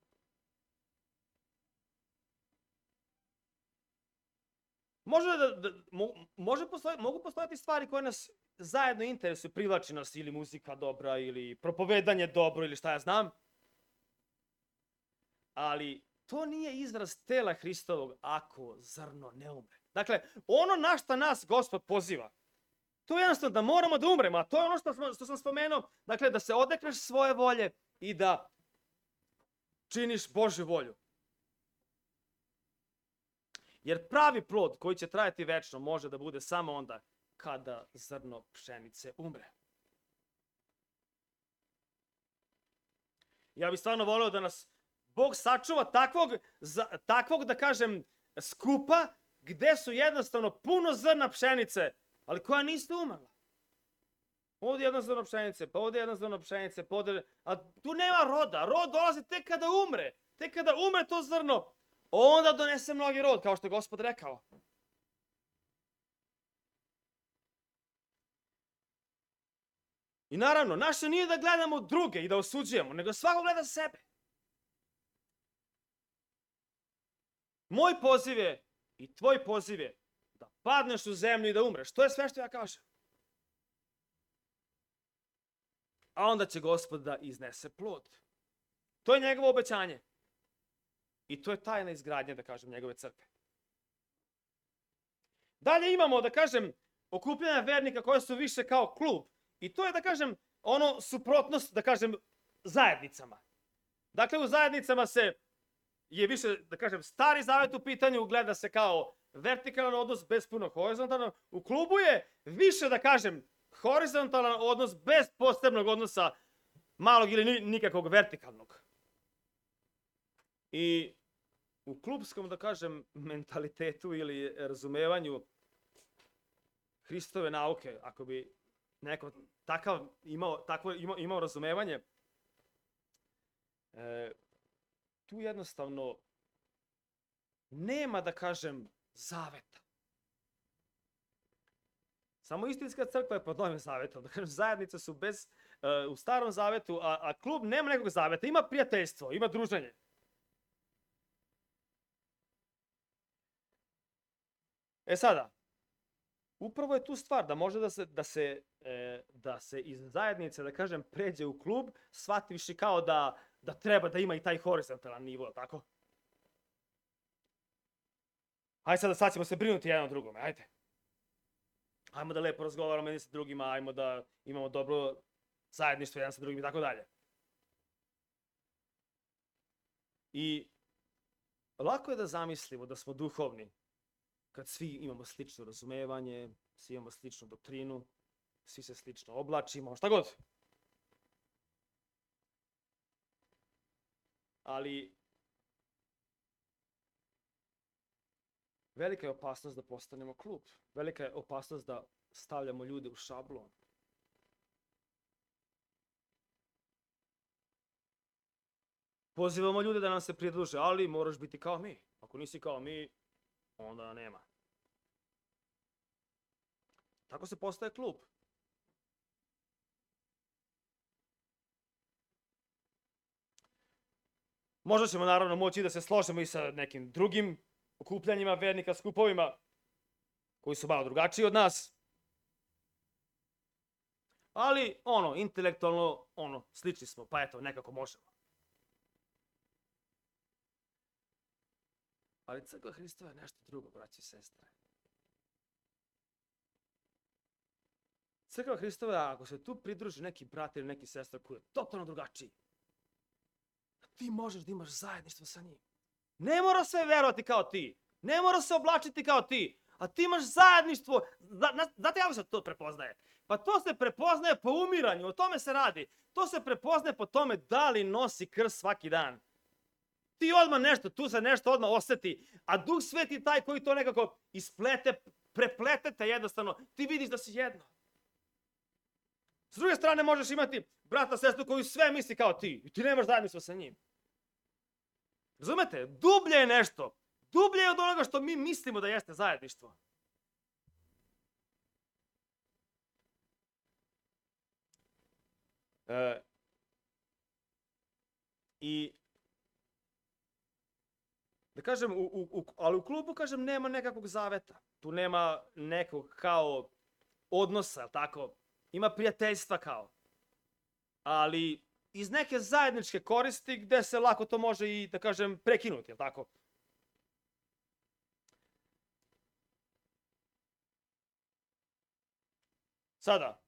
mogu postojati stvari koje nas zajedno interesuju, privlači nas ili muzika dobra, ili propovedanje dobro, ili šta ja znam. Ali to nije izraz tela Hristovog ako zrno ne umre. Dakle, ono na šta nas Gospod poziva, to je jednostavno da moramo da umremo, a to je ono što sam spomenuo, dakle, da se odrekneš svoje volje i da činiš Božju volju. Jer pravi plod koji će trajati večno može da bude samo onda kada zrno pšenice umre. Ja bih stvarno voleo da nas Bog sačuva takvog, da kažem, skupa gde su jednostavno puno zrna pšenice, ali koja niste umrla. Ovdje jedno zrno pšenice, pa ovdje jedno zrno pšenice, pa ovdje... A tu nema roda. Rod dolazi tek kada umre. Tek kada umre to zrno, onda donese mnogi rod, kao što je Gospod rekao. I naravno, naše nije da gledamo druge i da osuđujemo, nego svako gleda sebe. Moj poziv je i tvoj poziv je da padneš u zemlju i da umreš. To je sve što ja kažem. A onda će Gospod da iznese plod. To je njegovo obećanje. I to je tajna izgradnje, da kažem, njegove crkve. Dalje imamo, da kažem, okupljanja vernika koje su više kao klub. I to je, da kažem, ono suprotnost, da kažem, zajednicama. Dakle, u zajednicama je više, da kažem, stari zavet u pitanju, gleda se kao vertikalan odnos bez puno horizontalno. U klubu je više, da kažem, horizontalan odnos bez posebnog odnosa malog ili nikakvog vertikalnog. I u klubskom, da kažem, mentalitetu ili razumevanju Hristove nauke, ako bi neko imao razumevanje, tu jednostavno nema, da kažem, zaveta. Samo istinska crkva je pod Novim zavetom. Da kažem, zajednice su u starom zavetu, a klub nema nekog zaveta. Ima prijateljstvo, ima druženje. Sada, upravo je tu stvar da može da se iz zajednice, da kažem, pređe u klub, shvativši kao da treba da ima i taj horizontalan nivo, tako? Hajde sad ćemo se brinuti jedan o drugome, ajde. Ajmo da lepo razgovaramo jedni sa drugima, ajmo da imamo dobro zajedništvo jedan sa drugim i tako dalje. I lako je da zamislimo da smo duhovni kad svi imamo slično razumevanje, svi imamo sličnu doktrinu, svi se slično oblačimo, šta god. Ali velika je opasnost da postanemo klub. Velika je opasnost da stavljamo ljude u šablon. Pozivamo ljude da nam se pridruže, ali moraš biti kao mi. Ako nisi kao mi, onda nema. Tako se postaje klub. Možda ćemo naravno moći da se složimo i sa nekim drugim okupljanjima vernika, skupovima, koji su malo drugačiji od nas. Ali, intelektualno, slični smo, pa eto, nekako možemo. Ali crkva Hristova je nešto drugo, braći i sestre. Crkva Hristova, ako se tu pridruži neki brat ili neki sestra koji je totalno drugačiji, ti možeš da imaš zajedništvo sa njim. Ne mora sve verovati kao ti. Ne mora se oblačiti kao ti. A ti imaš zajedništvo. Znate kako se to prepoznaje? Pa to se prepoznaje po umiranju. O tome se radi. To se prepoznaje po tome da li nosi krst svaki dan. Ti odmah tu se nešto odmah osjeti. A Duh Sveti taj koji to nekako isplete, prepletete jednostavno. Ti vidiš da si jedno. S druge strane možeš imati brata, sestru koju sve misli kao ti. I ti nemaš zajedništvo sa njim. Razumete? Dublje je nešto. Dublje je od onoga što mi mislimo da jeste zajedništvo. I da kažem, ali u klubu, kažem, nema nekakvog zaveta. Tu nema nekog kao odnosa, tako? Ima prijateljstva kao. Ali iz neke zajedničke koristi gde se lako to može i, da kažem, prekinuti, je li tako? Sada,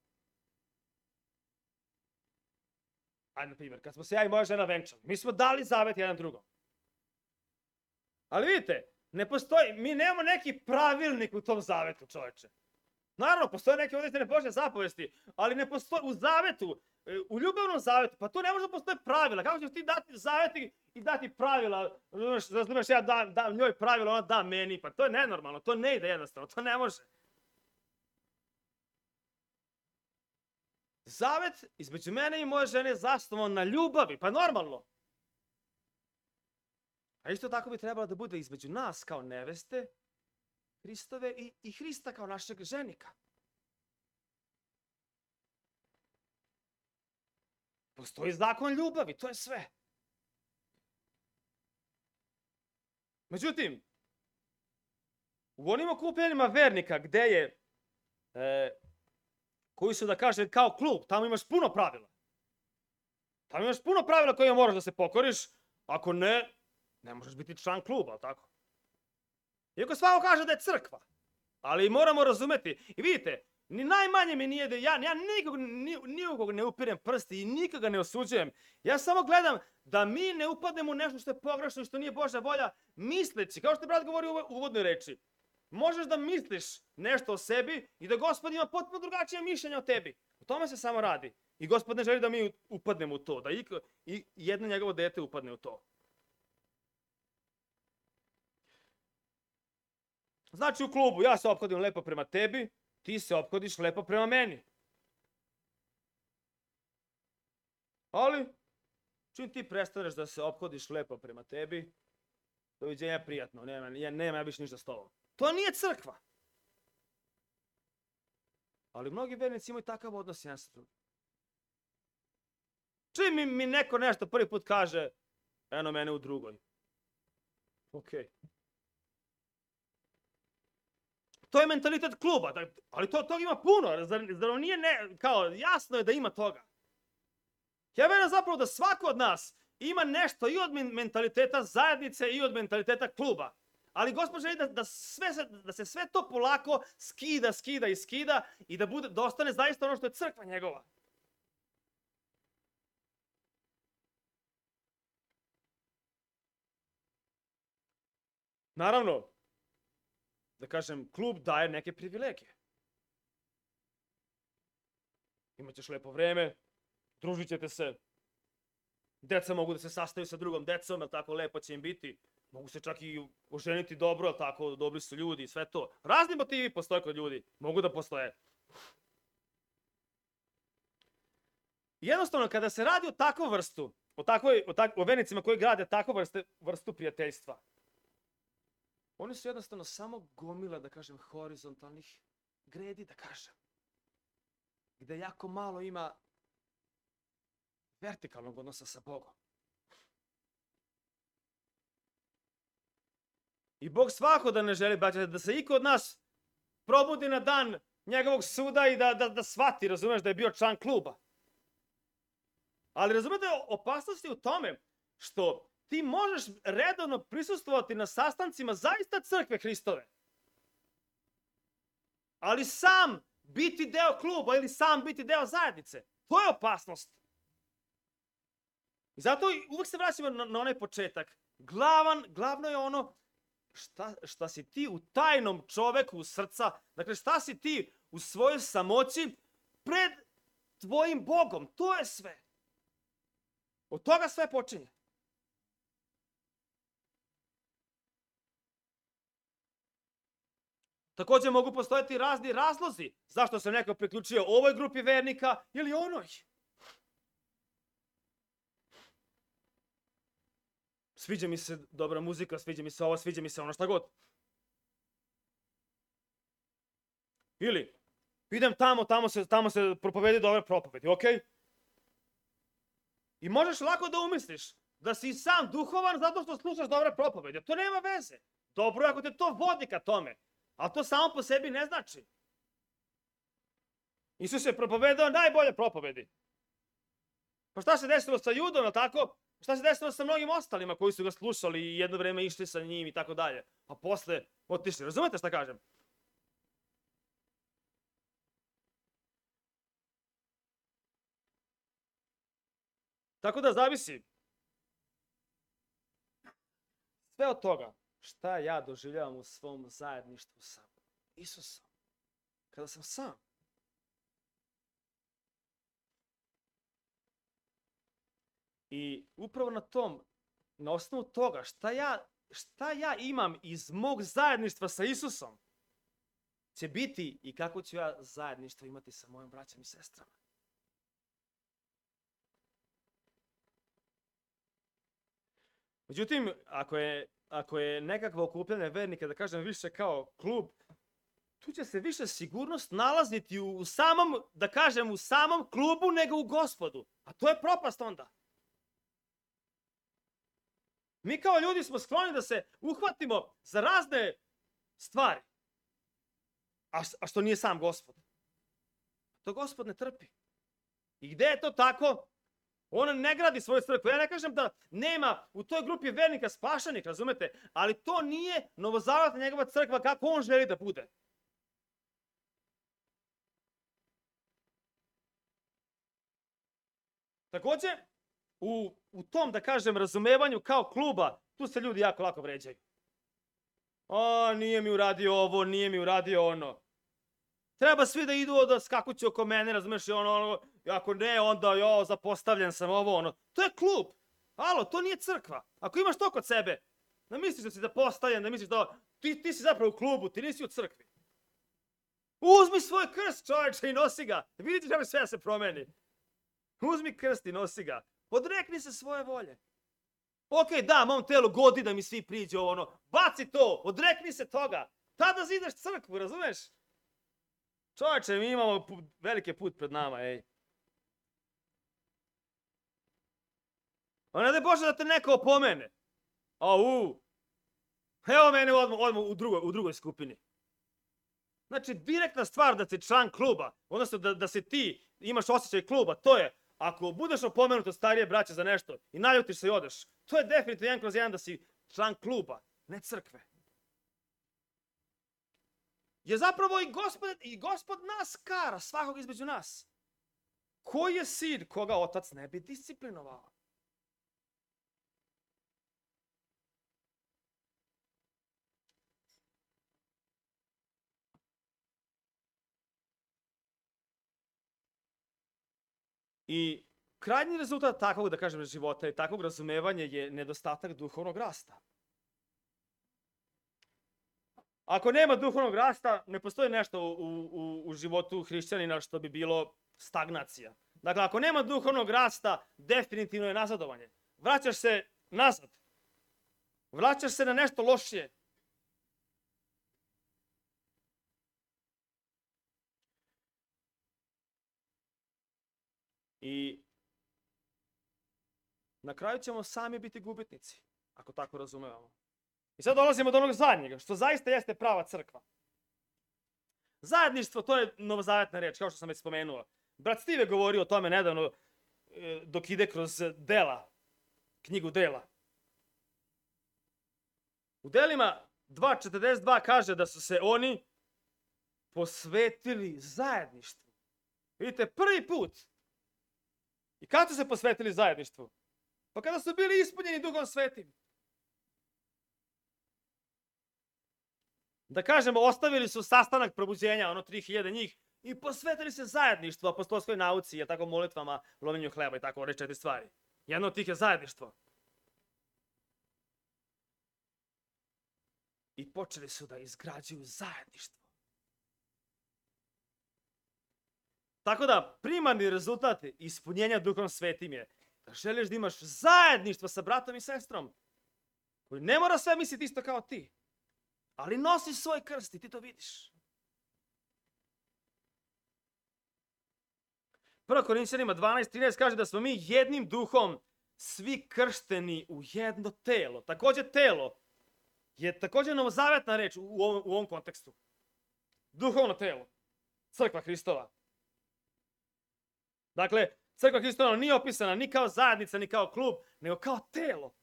ajde na primjer, kad smo se ja i moja žena venčali, mi smo dali zavet jedan drugom. Ali vidite, ne postoji, mi nemamo neki pravilnik u tom zavetu, čoveče. Naravno, postoje neke određene Božje zapovesti, ali ne postoji u zavetu, u ljubavnom zavetu, pa to ne može da postoje pravila. Kako ćeš ti dati zaveti i dati pravila? Razumeš, ja dam njoj pravila, ona da meni, pa to je nenormalno, to ne ide jednostavno, to ne može. Zavet između mene i moje žene je zasnovan na ljubavi, pa normalno. A isto tako bi trebalo da bude između nas kao neveste, Hristove i Hrista kao našeg ženika. Postoji zakon ljubavi, to je sve. Međutim, u onim okupljenjima vernika gde je, koji su da kažem kao klub, tamo imaš puno pravila. Tamo imaš puno pravila koje moraš da se pokoriš, ako ne, ne možeš biti član kluba, ali tako? Iako svako kaže da je crkva, ali moramo razumeti. I vidite, ni najmanje mi nije da ja nikog ne upirem prsti i nikoga ne osuđujem. Ja samo gledam da mi ne upadnemo u nešto što je pogrešno i što nije Božja volja, misleći, kao što je brat govorio u uvodnoj reči, možeš da misliš nešto o sebi i da Gospod ima potpuno drugačije mišljenje o tebi. O tome se samo radi. I Gospod ne želi da mi upadnemo u to, da i jedno njegovo dete upadne u to. Znači u klubu ja se ophodim lepo prema tebi, ti se ophodiš lepo prema meni. Ali, čim ti prestaneš da se ophodiš lepo prema tebi, doviđenja prijatno, nema ja više ništa s tobom. To nije crkva. Ali mnogi vernici imaju takav odnos jedan sa drugim. Čim mi neko nešto prvi put kaže, eno mene u drugoj. Okej. To je mentalitet kluba, ali toga ima puno, zar nije kao jasno je da ima toga. Ja verujem zapravo da svako od nas ima nešto i od mentaliteta zajednice i od mentaliteta kluba. Ali Gospod želi da se sve to polako skida i da ostane zaista ono što je crkva njegova. Naravno, da kažem, klub daje neke privilegije. Imaćeš lepo vreme, družit ćete se, deca mogu da se sastaju sa drugom decom, jer tako lepo će im biti. Mogu se čak i oženiti dobro, jer tako dobri su ljudi i sve to. Razni motivi postoje kod ljudi, mogu da postoje. Jednostavno, kada se radi o takvu vrstu, o vernicima koji grade takvu vrstu prijateljstva, oni su jednostavno samo gomila, da kažem, horizontalnih gredi, da kažem. Gde jako malo ima vertikalnog odnosa sa Bogom. I Bog svako da ne želi, da se iko od nas probudi na dan njegovog suda i da shvati, razumeš, da je bio član kluba. Ali razumete, opasnost je u tome što ti možeš redovno prisustvovati na sastancima zaista crkve Hristove. Ali sam biti deo kluba ili sam biti deo zajednice. To je opasnost. I zato uvek se vraćamo na onaj početak. Glavno je ono šta si ti u tajnom čoveku srca, dakle šta si ti u svojoj samoći pred tvojim Bogom. To je sve. Od toga sve počinje. Također mogu postojati razni razlozi zašto se neko priključio ovoj grupi vernika ili onoj. Sviđa mi se dobra muzika, sviđa mi se ovo, sviđa mi se ono, šta god. Ili, idem tamo se propovedi dobre propovedi, okej? I možeš lako da umisliš da si sam duhovan zato što slušaš dobre propovedi. To nema veze. Dobro je ako te to vodi ka tome. Ali to samo po sebi ne znači. Isus je propovedao najbolje propovedi. Pa šta se desilo sa Judom, tako? Šta se desilo sa mnogim ostalima koji su ga slušali i jedno vreme išli sa njim i tako dalje. A posle otišli. Razumete šta kažem? Tako da zavisi sve od toga šta ja doživljavam u svom zajedništvu sa Isusom. Kada sam sam. I upravo na osnovu toga šta ja imam iz mog zajedništva sa Isusom, će biti i kako ću ja zajedništvo imati sa mojim braćom i sestrama. Međutim, ako je nekakvo okupljanje vernika, da kažem više kao klub, tu će se više sigurnost nalaziti u samom, da kažem, u samom klubu nego u Gospodu. A to je propast onda. Mi kao ljudi smo skloni da se uhvatimo za razne stvari. A što nije sam Gospod. To Gospod ne trpi. I gde je to tako? On ne gradi svoju crkvu. Ja ne kažem da nema u toj grupi vernika spašenih, razumete? Ali to nije novozavetna njegova crkva kako on želi da bude. Takođe, u tom, da kažem, razumevanju kao kluba, tu se ljudi jako lako vređaju. Nije mi uradio ovo, nije mi uradio ono. Treba svi da idu da skakuću oko mene, razumeš, ako ne, onda zapostavljen sam ovo, ono. To je klub. Alo, to nije crkva. Ako imaš to kod sebe, da misliš da si zapostavljen, da misliš da ti si zapravo u klubu, ti nisi u crkvi. Uzmi svoj krst, čoveče, i nosi ga. Vidite da sve se promeni. Uzmi krst i nosi ga. Odrekni se svoje volje. Ok, da, mom telu godi da mi svi priđe ono. Baci to, odrekni se toga. Tada zideš crkvu, razumeš? Čovječe, mi imamo veliki put pred nama, ej. Ne daj Bože da te neko opomene. Evo mene odmah u drugoj skupini. Znači, direktna stvar da si član kluba, odnosno da se ti imaš osjećaj kluba, to je, ako budeš opomenut od starije braće za nešto i naljutiš se i odeš, to je definitivno 1/1 da si član kluba, ne crkve. Je zapravo i Gospod nas kara, svakog između nas. Koji je sin koga otac ne bi disciplinovao? I krajnji rezultat takvog, da kažem, života i takvog razumevanja je nedostatak duhovnog rasta. Ako nema duhovnog rasta, ne postoji nešto u životu hrišćanina što bi bilo stagnacija. Dakle, ako nema duhovnog rasta, definitivno je nazadovanje. Vraćaš se nazad. Vraćaš se na nešto lošije. I na kraju ćemo sami biti gubitnici, ako tako razumevamo. I sad dolazimo do onog zadnjega, što zaista jeste prava crkva. Zajedništvo, to je novozavetna reč, kao što sam već spomenuo. Brat Steve je govorio o tome nedavno, dok ide kroz knjigu Dela. U Delima 2.42 kaže da su se oni posvetili zajedništvu. Vidite, prvi put. I kada su se posvetili zajedništvu? Pa kada su bili ispunjeni Duhom Svetim. Da kažemo, ostavili su sastanak probuđenja, 3000 njih, i posvetili se zajedništvu, apostolskoj nauci, je tako, molitvama, lomljenju hleba i tako, ove 4 stvari. Jedno od tih je zajedništvo. I počeli su da izgrađuju zajedništvo. Tako da, primarni rezultat ispunjenja Duhom Svetim je da želiš da imaš zajedništvo sa bratom i sestrom, koji ne mora sve misliti isto kao ti, ali nosi svoj krst i ti to vidiš. 1. Korinćanima 12.13 kaže da smo mi jednim duhom svi kršteni u jedno telo. Takođe telo je takođe novozavetna reč u ovom kontekstu. Duhovno telo. Crkva Hristova. Dakle, Crkva Hristova nije opisana ni kao zajednica, ni kao klub, nego kao telo.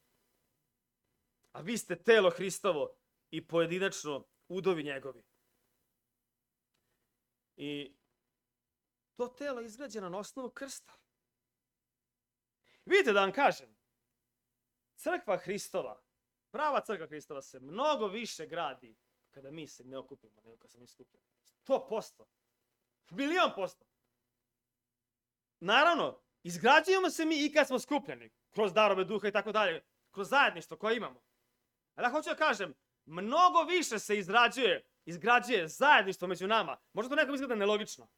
A vi ste telo Hristovo i pojedinačno udovi njegovi. I to telo je izgrađeno na osnovu krsta. Vidite da vam kažem, crkva Hristova, prava crkva Hristova se mnogo više gradi kada mi se ne okupimo nego kada se mi skupimo. 100%. 1.000.000%. Naravno, izgrađujemo se mi i kad smo skupljeni, kroz darove duha i tako dalje, kroz zajedništvo koje imamo. Ali ja hoću da kažem, mnogo više se izgrađuje zajedništvo među nama. Možda to nekom izgleda nelogično.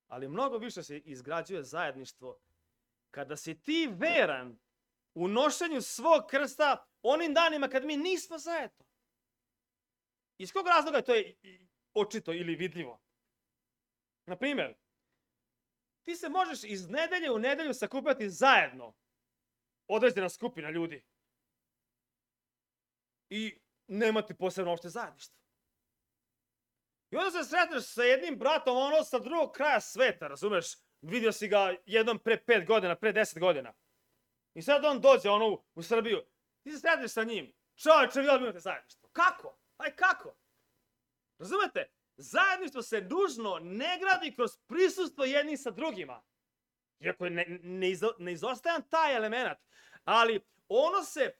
Ali mnogo više se izgrađuje zajedništvo kada si ti veran u nošenju svog krsta onim danima kad mi nismo zajedno. Iz kog razloga to je očito ili vidljivo? Na primjer, ti se možeš iz nedelje u nedelju sakupljati zajedno određena skupina ljudi i nemati posebno opšte zajedništvo. I onda se sretneš sa jednim bratom, ono sa drugog kraja sveta, razumeš? Vidio si ga jednom pre 5 godina, pre 10 godina. I sad on dođe u Srbiju. Ti se sretneš sa njim. Čovječe, vi imate zajedništvo. Kako? Aj kako? Razumete? Zajedništvo se nužno ne gradi kroz prisustvo jednih sa drugima. Iako je neizostajan taj element. Ali ono se,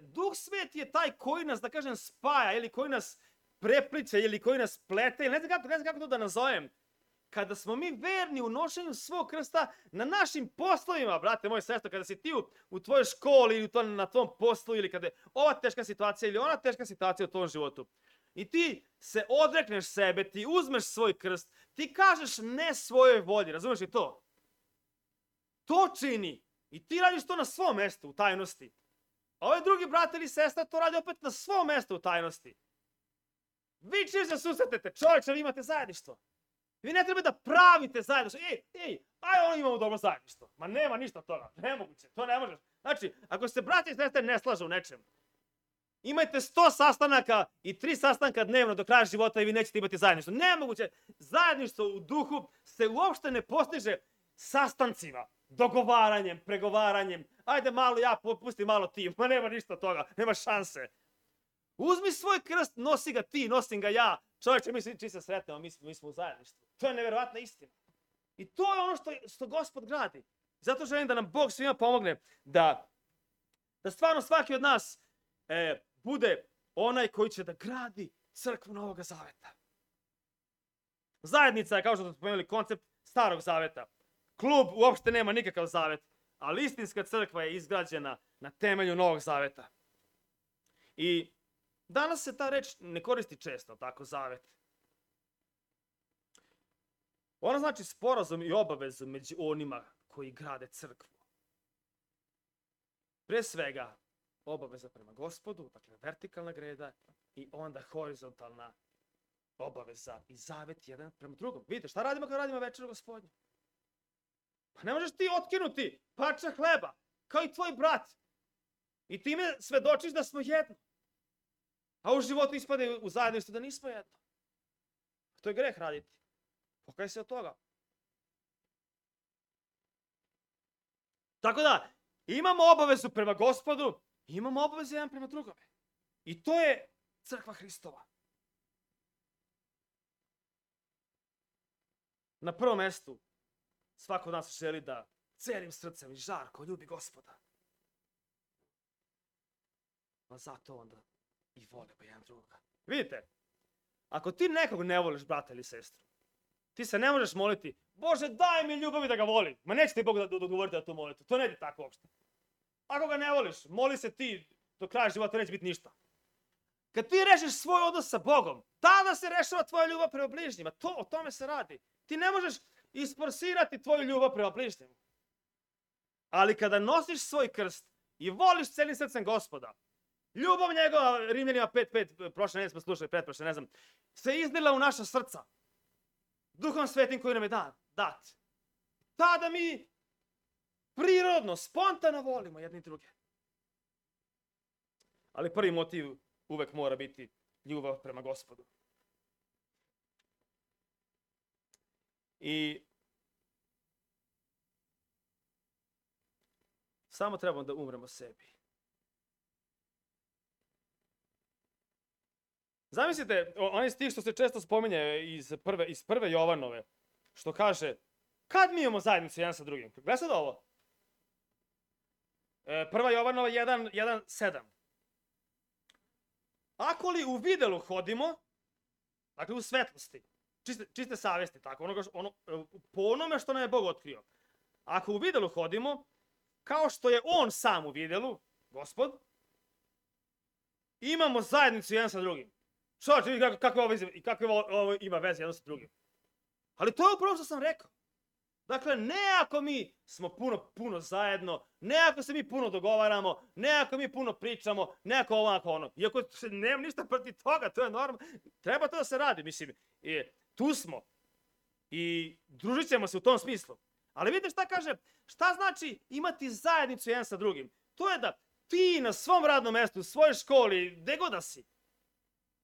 Duh Sveti je taj koji nas, da kažem, spaja ili koji nas prepliče ili koji nas plete. Ne znam kako to da nazovem. Kada smo mi verni u nošenju svog krsta na našim poslovima, brate moj, sestro, kada si ti u tvojoj školi ili na tvom poslu ili kada je ova teška situacija ili ona teška situacija u tvom životu i ti se odrekneš sebe, ti uzmeš svoj krst, ti kažeš ne svojoj volji, razumeš li to? To čini i ti radiš to na svom mestu u tajnosti. A ovaj drugi brat ili sestra to radi opet na svom mestu u tajnosti. Vi čim se susretete, čovječe, vi imate zajedništvo. Vi ne treba da pravite zajedništvo. Aj, imamo dobro zajedništvo. Ma nema ništa od toga. Nemoguće, to ne možeš. Znači, ako se brati i sestre ne slažu u nečem, imajte 100 sastanaka i 3 sastanka dnevno do kraja života i vi nećete imati zajedništvo. Nemoguće. Zajedništvo u duhu se uopšte ne postiže sastancima, dogovaranjem, pregovaranjem. Ajde malo ja, pusti malo ti. Ma nema ništa od toga. Nema šanse. Uzmi svoj krst, nosi ga ti, nosim ga ja. Čovječe, mi svi se sretnemo, mi smo u zajedništvu. To je nevjerovatna istina. I to je ono što Gospod gradi. Zato želim da nam Bog svima pomogne da stvarno svaki od nas bude onaj koji će da gradi crkvu Novog Zaveta. Zajednica je, kao što smo spomenuli, koncept Starog Zaveta. Klub uopšte nema nikakav zavet, ali istinska crkva je izgrađena na temelju Novog Zaveta. I danas se ta reč ne koristi često, tako, zavet. Ona znači sporazum i obavezu među onima koji grade crkvu. Pre svega, obaveza prema Gospodu, dakle vertikalna greda, i onda horizontalna obaveza i zavet jedan prema drugom. Vidite, šta radimo kada radimo večeru Gospodnju? Pa ne možeš ti otkinuti parče hleba, kao i tvoj brat. I time svedočiš da smo jedno. A u životu ispade u zajedništvu da nismo jedno. To je greh raditi. Pokaj se od toga. Tako da, imamo obavezu prema Gospodu, imamo obavezu jedan prema drugome. I to je crkva Hristova. Na prvom mestu, svako od nas želi da celim srcem i žarko ljubi Gospoda. Pa zato onda i volimo jedan drugoga. Vidite, ako ti nekog ne voliš, brata ili sestru, ti se ne možeš moliti, Bože, daj mi ljubavi da ga volim. Ma neće ti Bog da odgovoriti na tu molitvu. To ne ide tako uopšte. Ako ga ne voliš, moli se ti do kraja života, neće biti ništa. Kad ti rešiš svoj odnos sa Bogom, tada se rešava tvoja ljubav prema bližnjima. O tome se radi. Ti ne možeš isforsirati tvoju ljubav prema bližnjima. Ali kada nosiš svoj krst i voliš celim srcem Gospoda, ljubav njegova, Rimljanima 5.5, prošle nedelje smo slušali, pretprošle, ne znam, se iznila u naša srca. Duhom Svetim koji nam je dat. Tada mi prirodno, spontano volimo jedni druge. Ali prvi motiv uvek mora biti ljubav prema Gospodu. I samo trebamo da umremo sebi. Zamislite, onaj stih što se često spominje iz prve Jovanove, što kaže, kad mi imamo zajednicu jedan sa drugim? Gledaj sad ovo. 1. Jovanova 1:7. Ako li u videlu hodimo, dakle u svetlosti, čiste savjesti, tako, po onome što nam je Bog otkrio. Ako u videlu hodimo, kao što je On sam u videlu, Gospod, imamo zajednicu jedan sa drugim. Čovječe, vidi kakve ovo ima veze jedno sa drugim. Ali to je upravo što sam rekao. Dakle, ne ako mi smo puno zajedno, ne ako se mi puno dogovaramo, ne ako mi puno pričamo, ne ako ovako ono. Iako nemam ništa protiv toga, to je normalno. Treba to da se radi, mislim. Tu smo i družit ćemo se u tom smislu. Ali vidite šta kaže, šta znači imati zajednicu jedan sa drugim? To je da ti na svom radnom mjestu, u svojoj školi, gde god da si,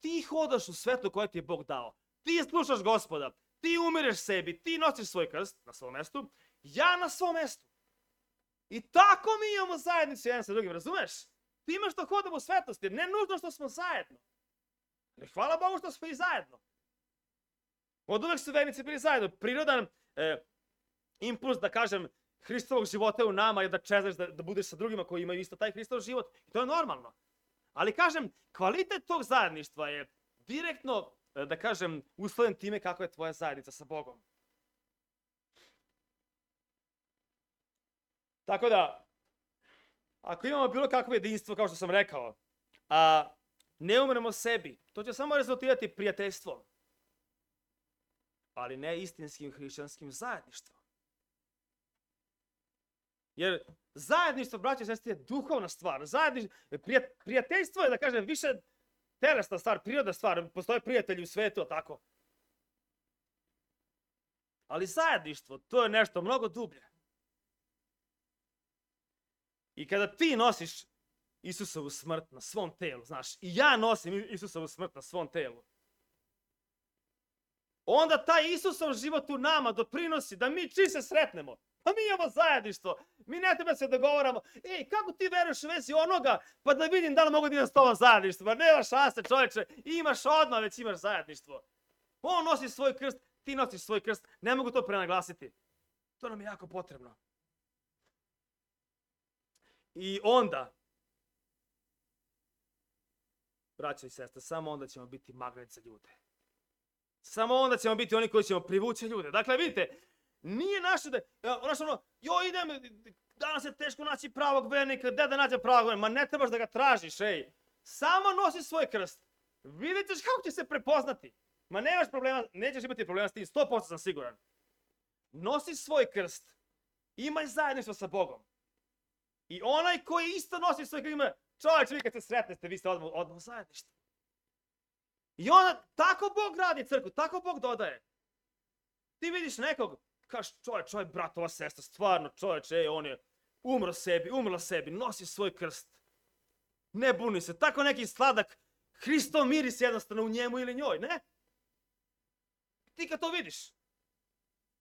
ti hodaš u svetlu koje ti je Bog dao. Ti slušaš Gospoda, ti umireš sebi, ti nosiš svoj krst na svom mjestu, ja na svom mjestu. I tako mi imamo zajednicu jedan sa drugim, razumeš? Time što hodamo u svetlosti, ne nužno što smo zajedno. Ne, hvala Bogu što smo i zajedno. Od uvek su vernici bili zajedno. Prirodan impuls, da kažem, Hristovog života je u nama je da čezaš, da budeš sa drugima koji imaju isto taj Hristov život. I to je normalno. Ali kažem, kvalitet tog zajedništva je direktno, da kažem, uslovljen time kako je tvoja zajednica sa Bogom. Tako da, ako imamo bilo kakvo jedinstvo, kao što sam rekao, a ne umremo sebi, to će samo rezultirati prijateljstvom, ali ne istinskim hrišćanskim zajedništvom. Jer zajedništvo, braće i sestre, je duhovna stvar. Prijateljstvo je, da kažem, više telesna stvar, prirodna stvar. Postoje prijatelji u svetu, tako. Ali zajedništvo, to je nešto mnogo dublje. I kada ti nosiš Isusovu smrt na svom telu, znaš, i ja nosim Isusovu smrt na svom telu, onda taj Isusov život u nama doprinosi da mi čim se sretnemo, pa mi imamo zajedništvo, mi ne treba se dogovaramo, kako ti veruješ u vezi onoga, pa da vidim da li mogu da idem s tobom zajedništvo, pa nema šanse čovječe, imaš odmah već imaš zajedništvo. On nosi svoj krst, ti nosiš svoj krst, ne mogu to prenaglasiti. To nam je jako potrebno. I onda, braćo i sestre, samo onda ćemo biti magnet za ljude. Samo onda ćemo biti oni koji ćemo privući ljude. Dakle, vidite, nije naše da, idem, danas je teško naći pravog vernika, gde da nađem pravog vernika, ma ne trebaš da ga tražiš, Samo nosi svoj krst. Vidjet ćeš kako će se prepoznati. Ma nemaš problema, nećeš imati problema s tim, 100% sam siguran. Nosi svoj krst, imaj zajedništvo sa Bogom. I onaj koji isto nosi svoj krst, ima, čovječ, vi kad se sretnete, vi ste odmah u zajedništvu. I onda, tako Bog radi crkvu, tako Bog dodaje. Ti vidiš nekog, kažeš, čovječ, brat, ova sestra, stvarno, čovječ, on je umrla sebi, nosi svoj krst. Ne buni se, tako neki sladak, Hristov miris jednostavno u njemu ili njoj, ne? Ti kad to vidiš,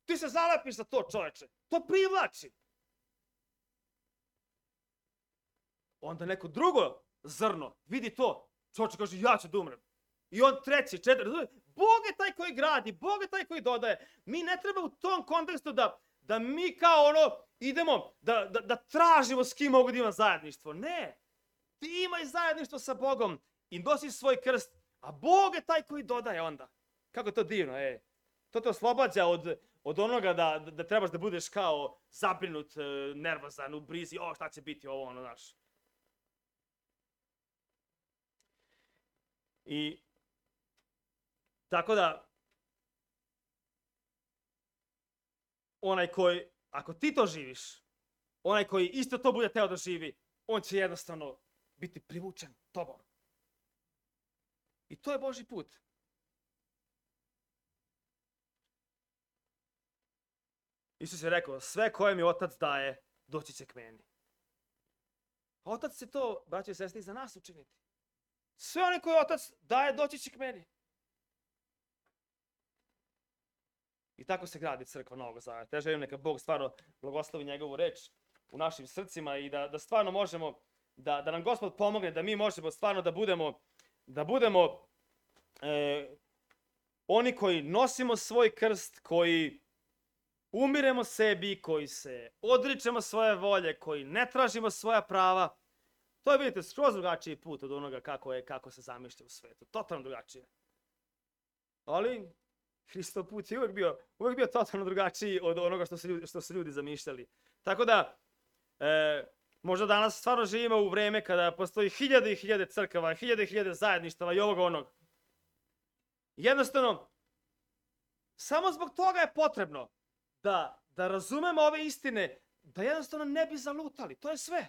ti se zalepiš za to, čovječe, to privlači. Onda neko drugo zrno vidi to, čovječe kaže, ja ću da umrem. I on treći, četvrti, Bog je taj koji gradi, Bog je taj koji dodaje. Mi ne treba u tom kontekstu da mi kao idemo, da tražimo s kim mogu da imam zajedništvo. Ne, ti imaj zajedništvo sa Bogom i nosi svoj krst, a Bog je taj koji dodaje onda. Kako je to divno, To te oslobađa od onoga da trebaš da budeš kao zabrinut, nervozan, u brizi, šta će biti ovo, znaš. I tako da, onaj koji, ako ti to živiš, onaj koji isto to bude teo da živi, on će jednostavno biti privučen tobom. I to je Božji put. Isus je rekao, sve koje mi Otac daje, doći će k meni. Otac će to, braći i sestri, za nas učiniti. Sve one koje Otac daje, doći će k meni. I tako se gradi crkva Novog Zaveta. Ja želim neka Bog stvarno blagoslovi njegovu reč u našim srcima i da stvarno možemo, da nam Gospod pomogne, da mi možemo stvarno da budemo oni koji nosimo svoj krst, koji umiremo sebi, koji se odričemo svoje volje, koji ne tražimo svoja prava, to je, vidite, skroz drugačiji put od onoga kako se zamišlja u svetu. Totalno drugačije. Ali Hristov put je uvijek bio totalno drugačiji od onoga što su ljudi zamišljali. Tako da, možda danas stvarno živimo u vreme kada postoji hiljade i hiljade crkava, hiljade i hiljade zajedništava i ovoga onog. Jednostavno, samo zbog toga je potrebno da razumemo ove istine, da jednostavno ne bi zalutali. To je sve.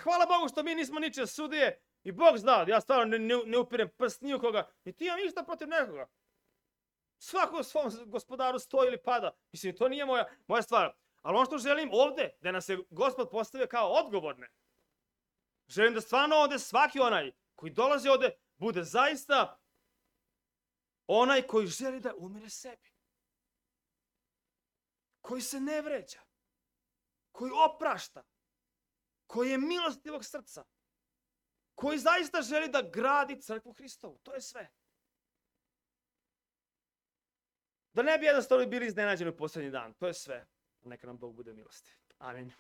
Hvala Bogu što mi nismo ničije sudije i Bog zna, ja stvarno ne upirem prst ni u koga, niti imam ništa protiv nekoga. Svako u svom gospodaru stoji ili pada. Mislim, to nije moja stvar. Ali ono što želim ovde, da nas je Gospod postavio kao odgovorne, želim da stvarno ovde svaki onaj koji dolazi ovde bude zaista onaj koji želi da umire sebi. Koji se ne vređa. Koji oprašta. Koji je milostivog srca. Koji zaista želi da gradi crkvu Hristovu. To je sve. Da ne bi jednostavno bili iznenađeni u posljednji dan. To je sve. Neka nam Bog bude milostiv. Amin.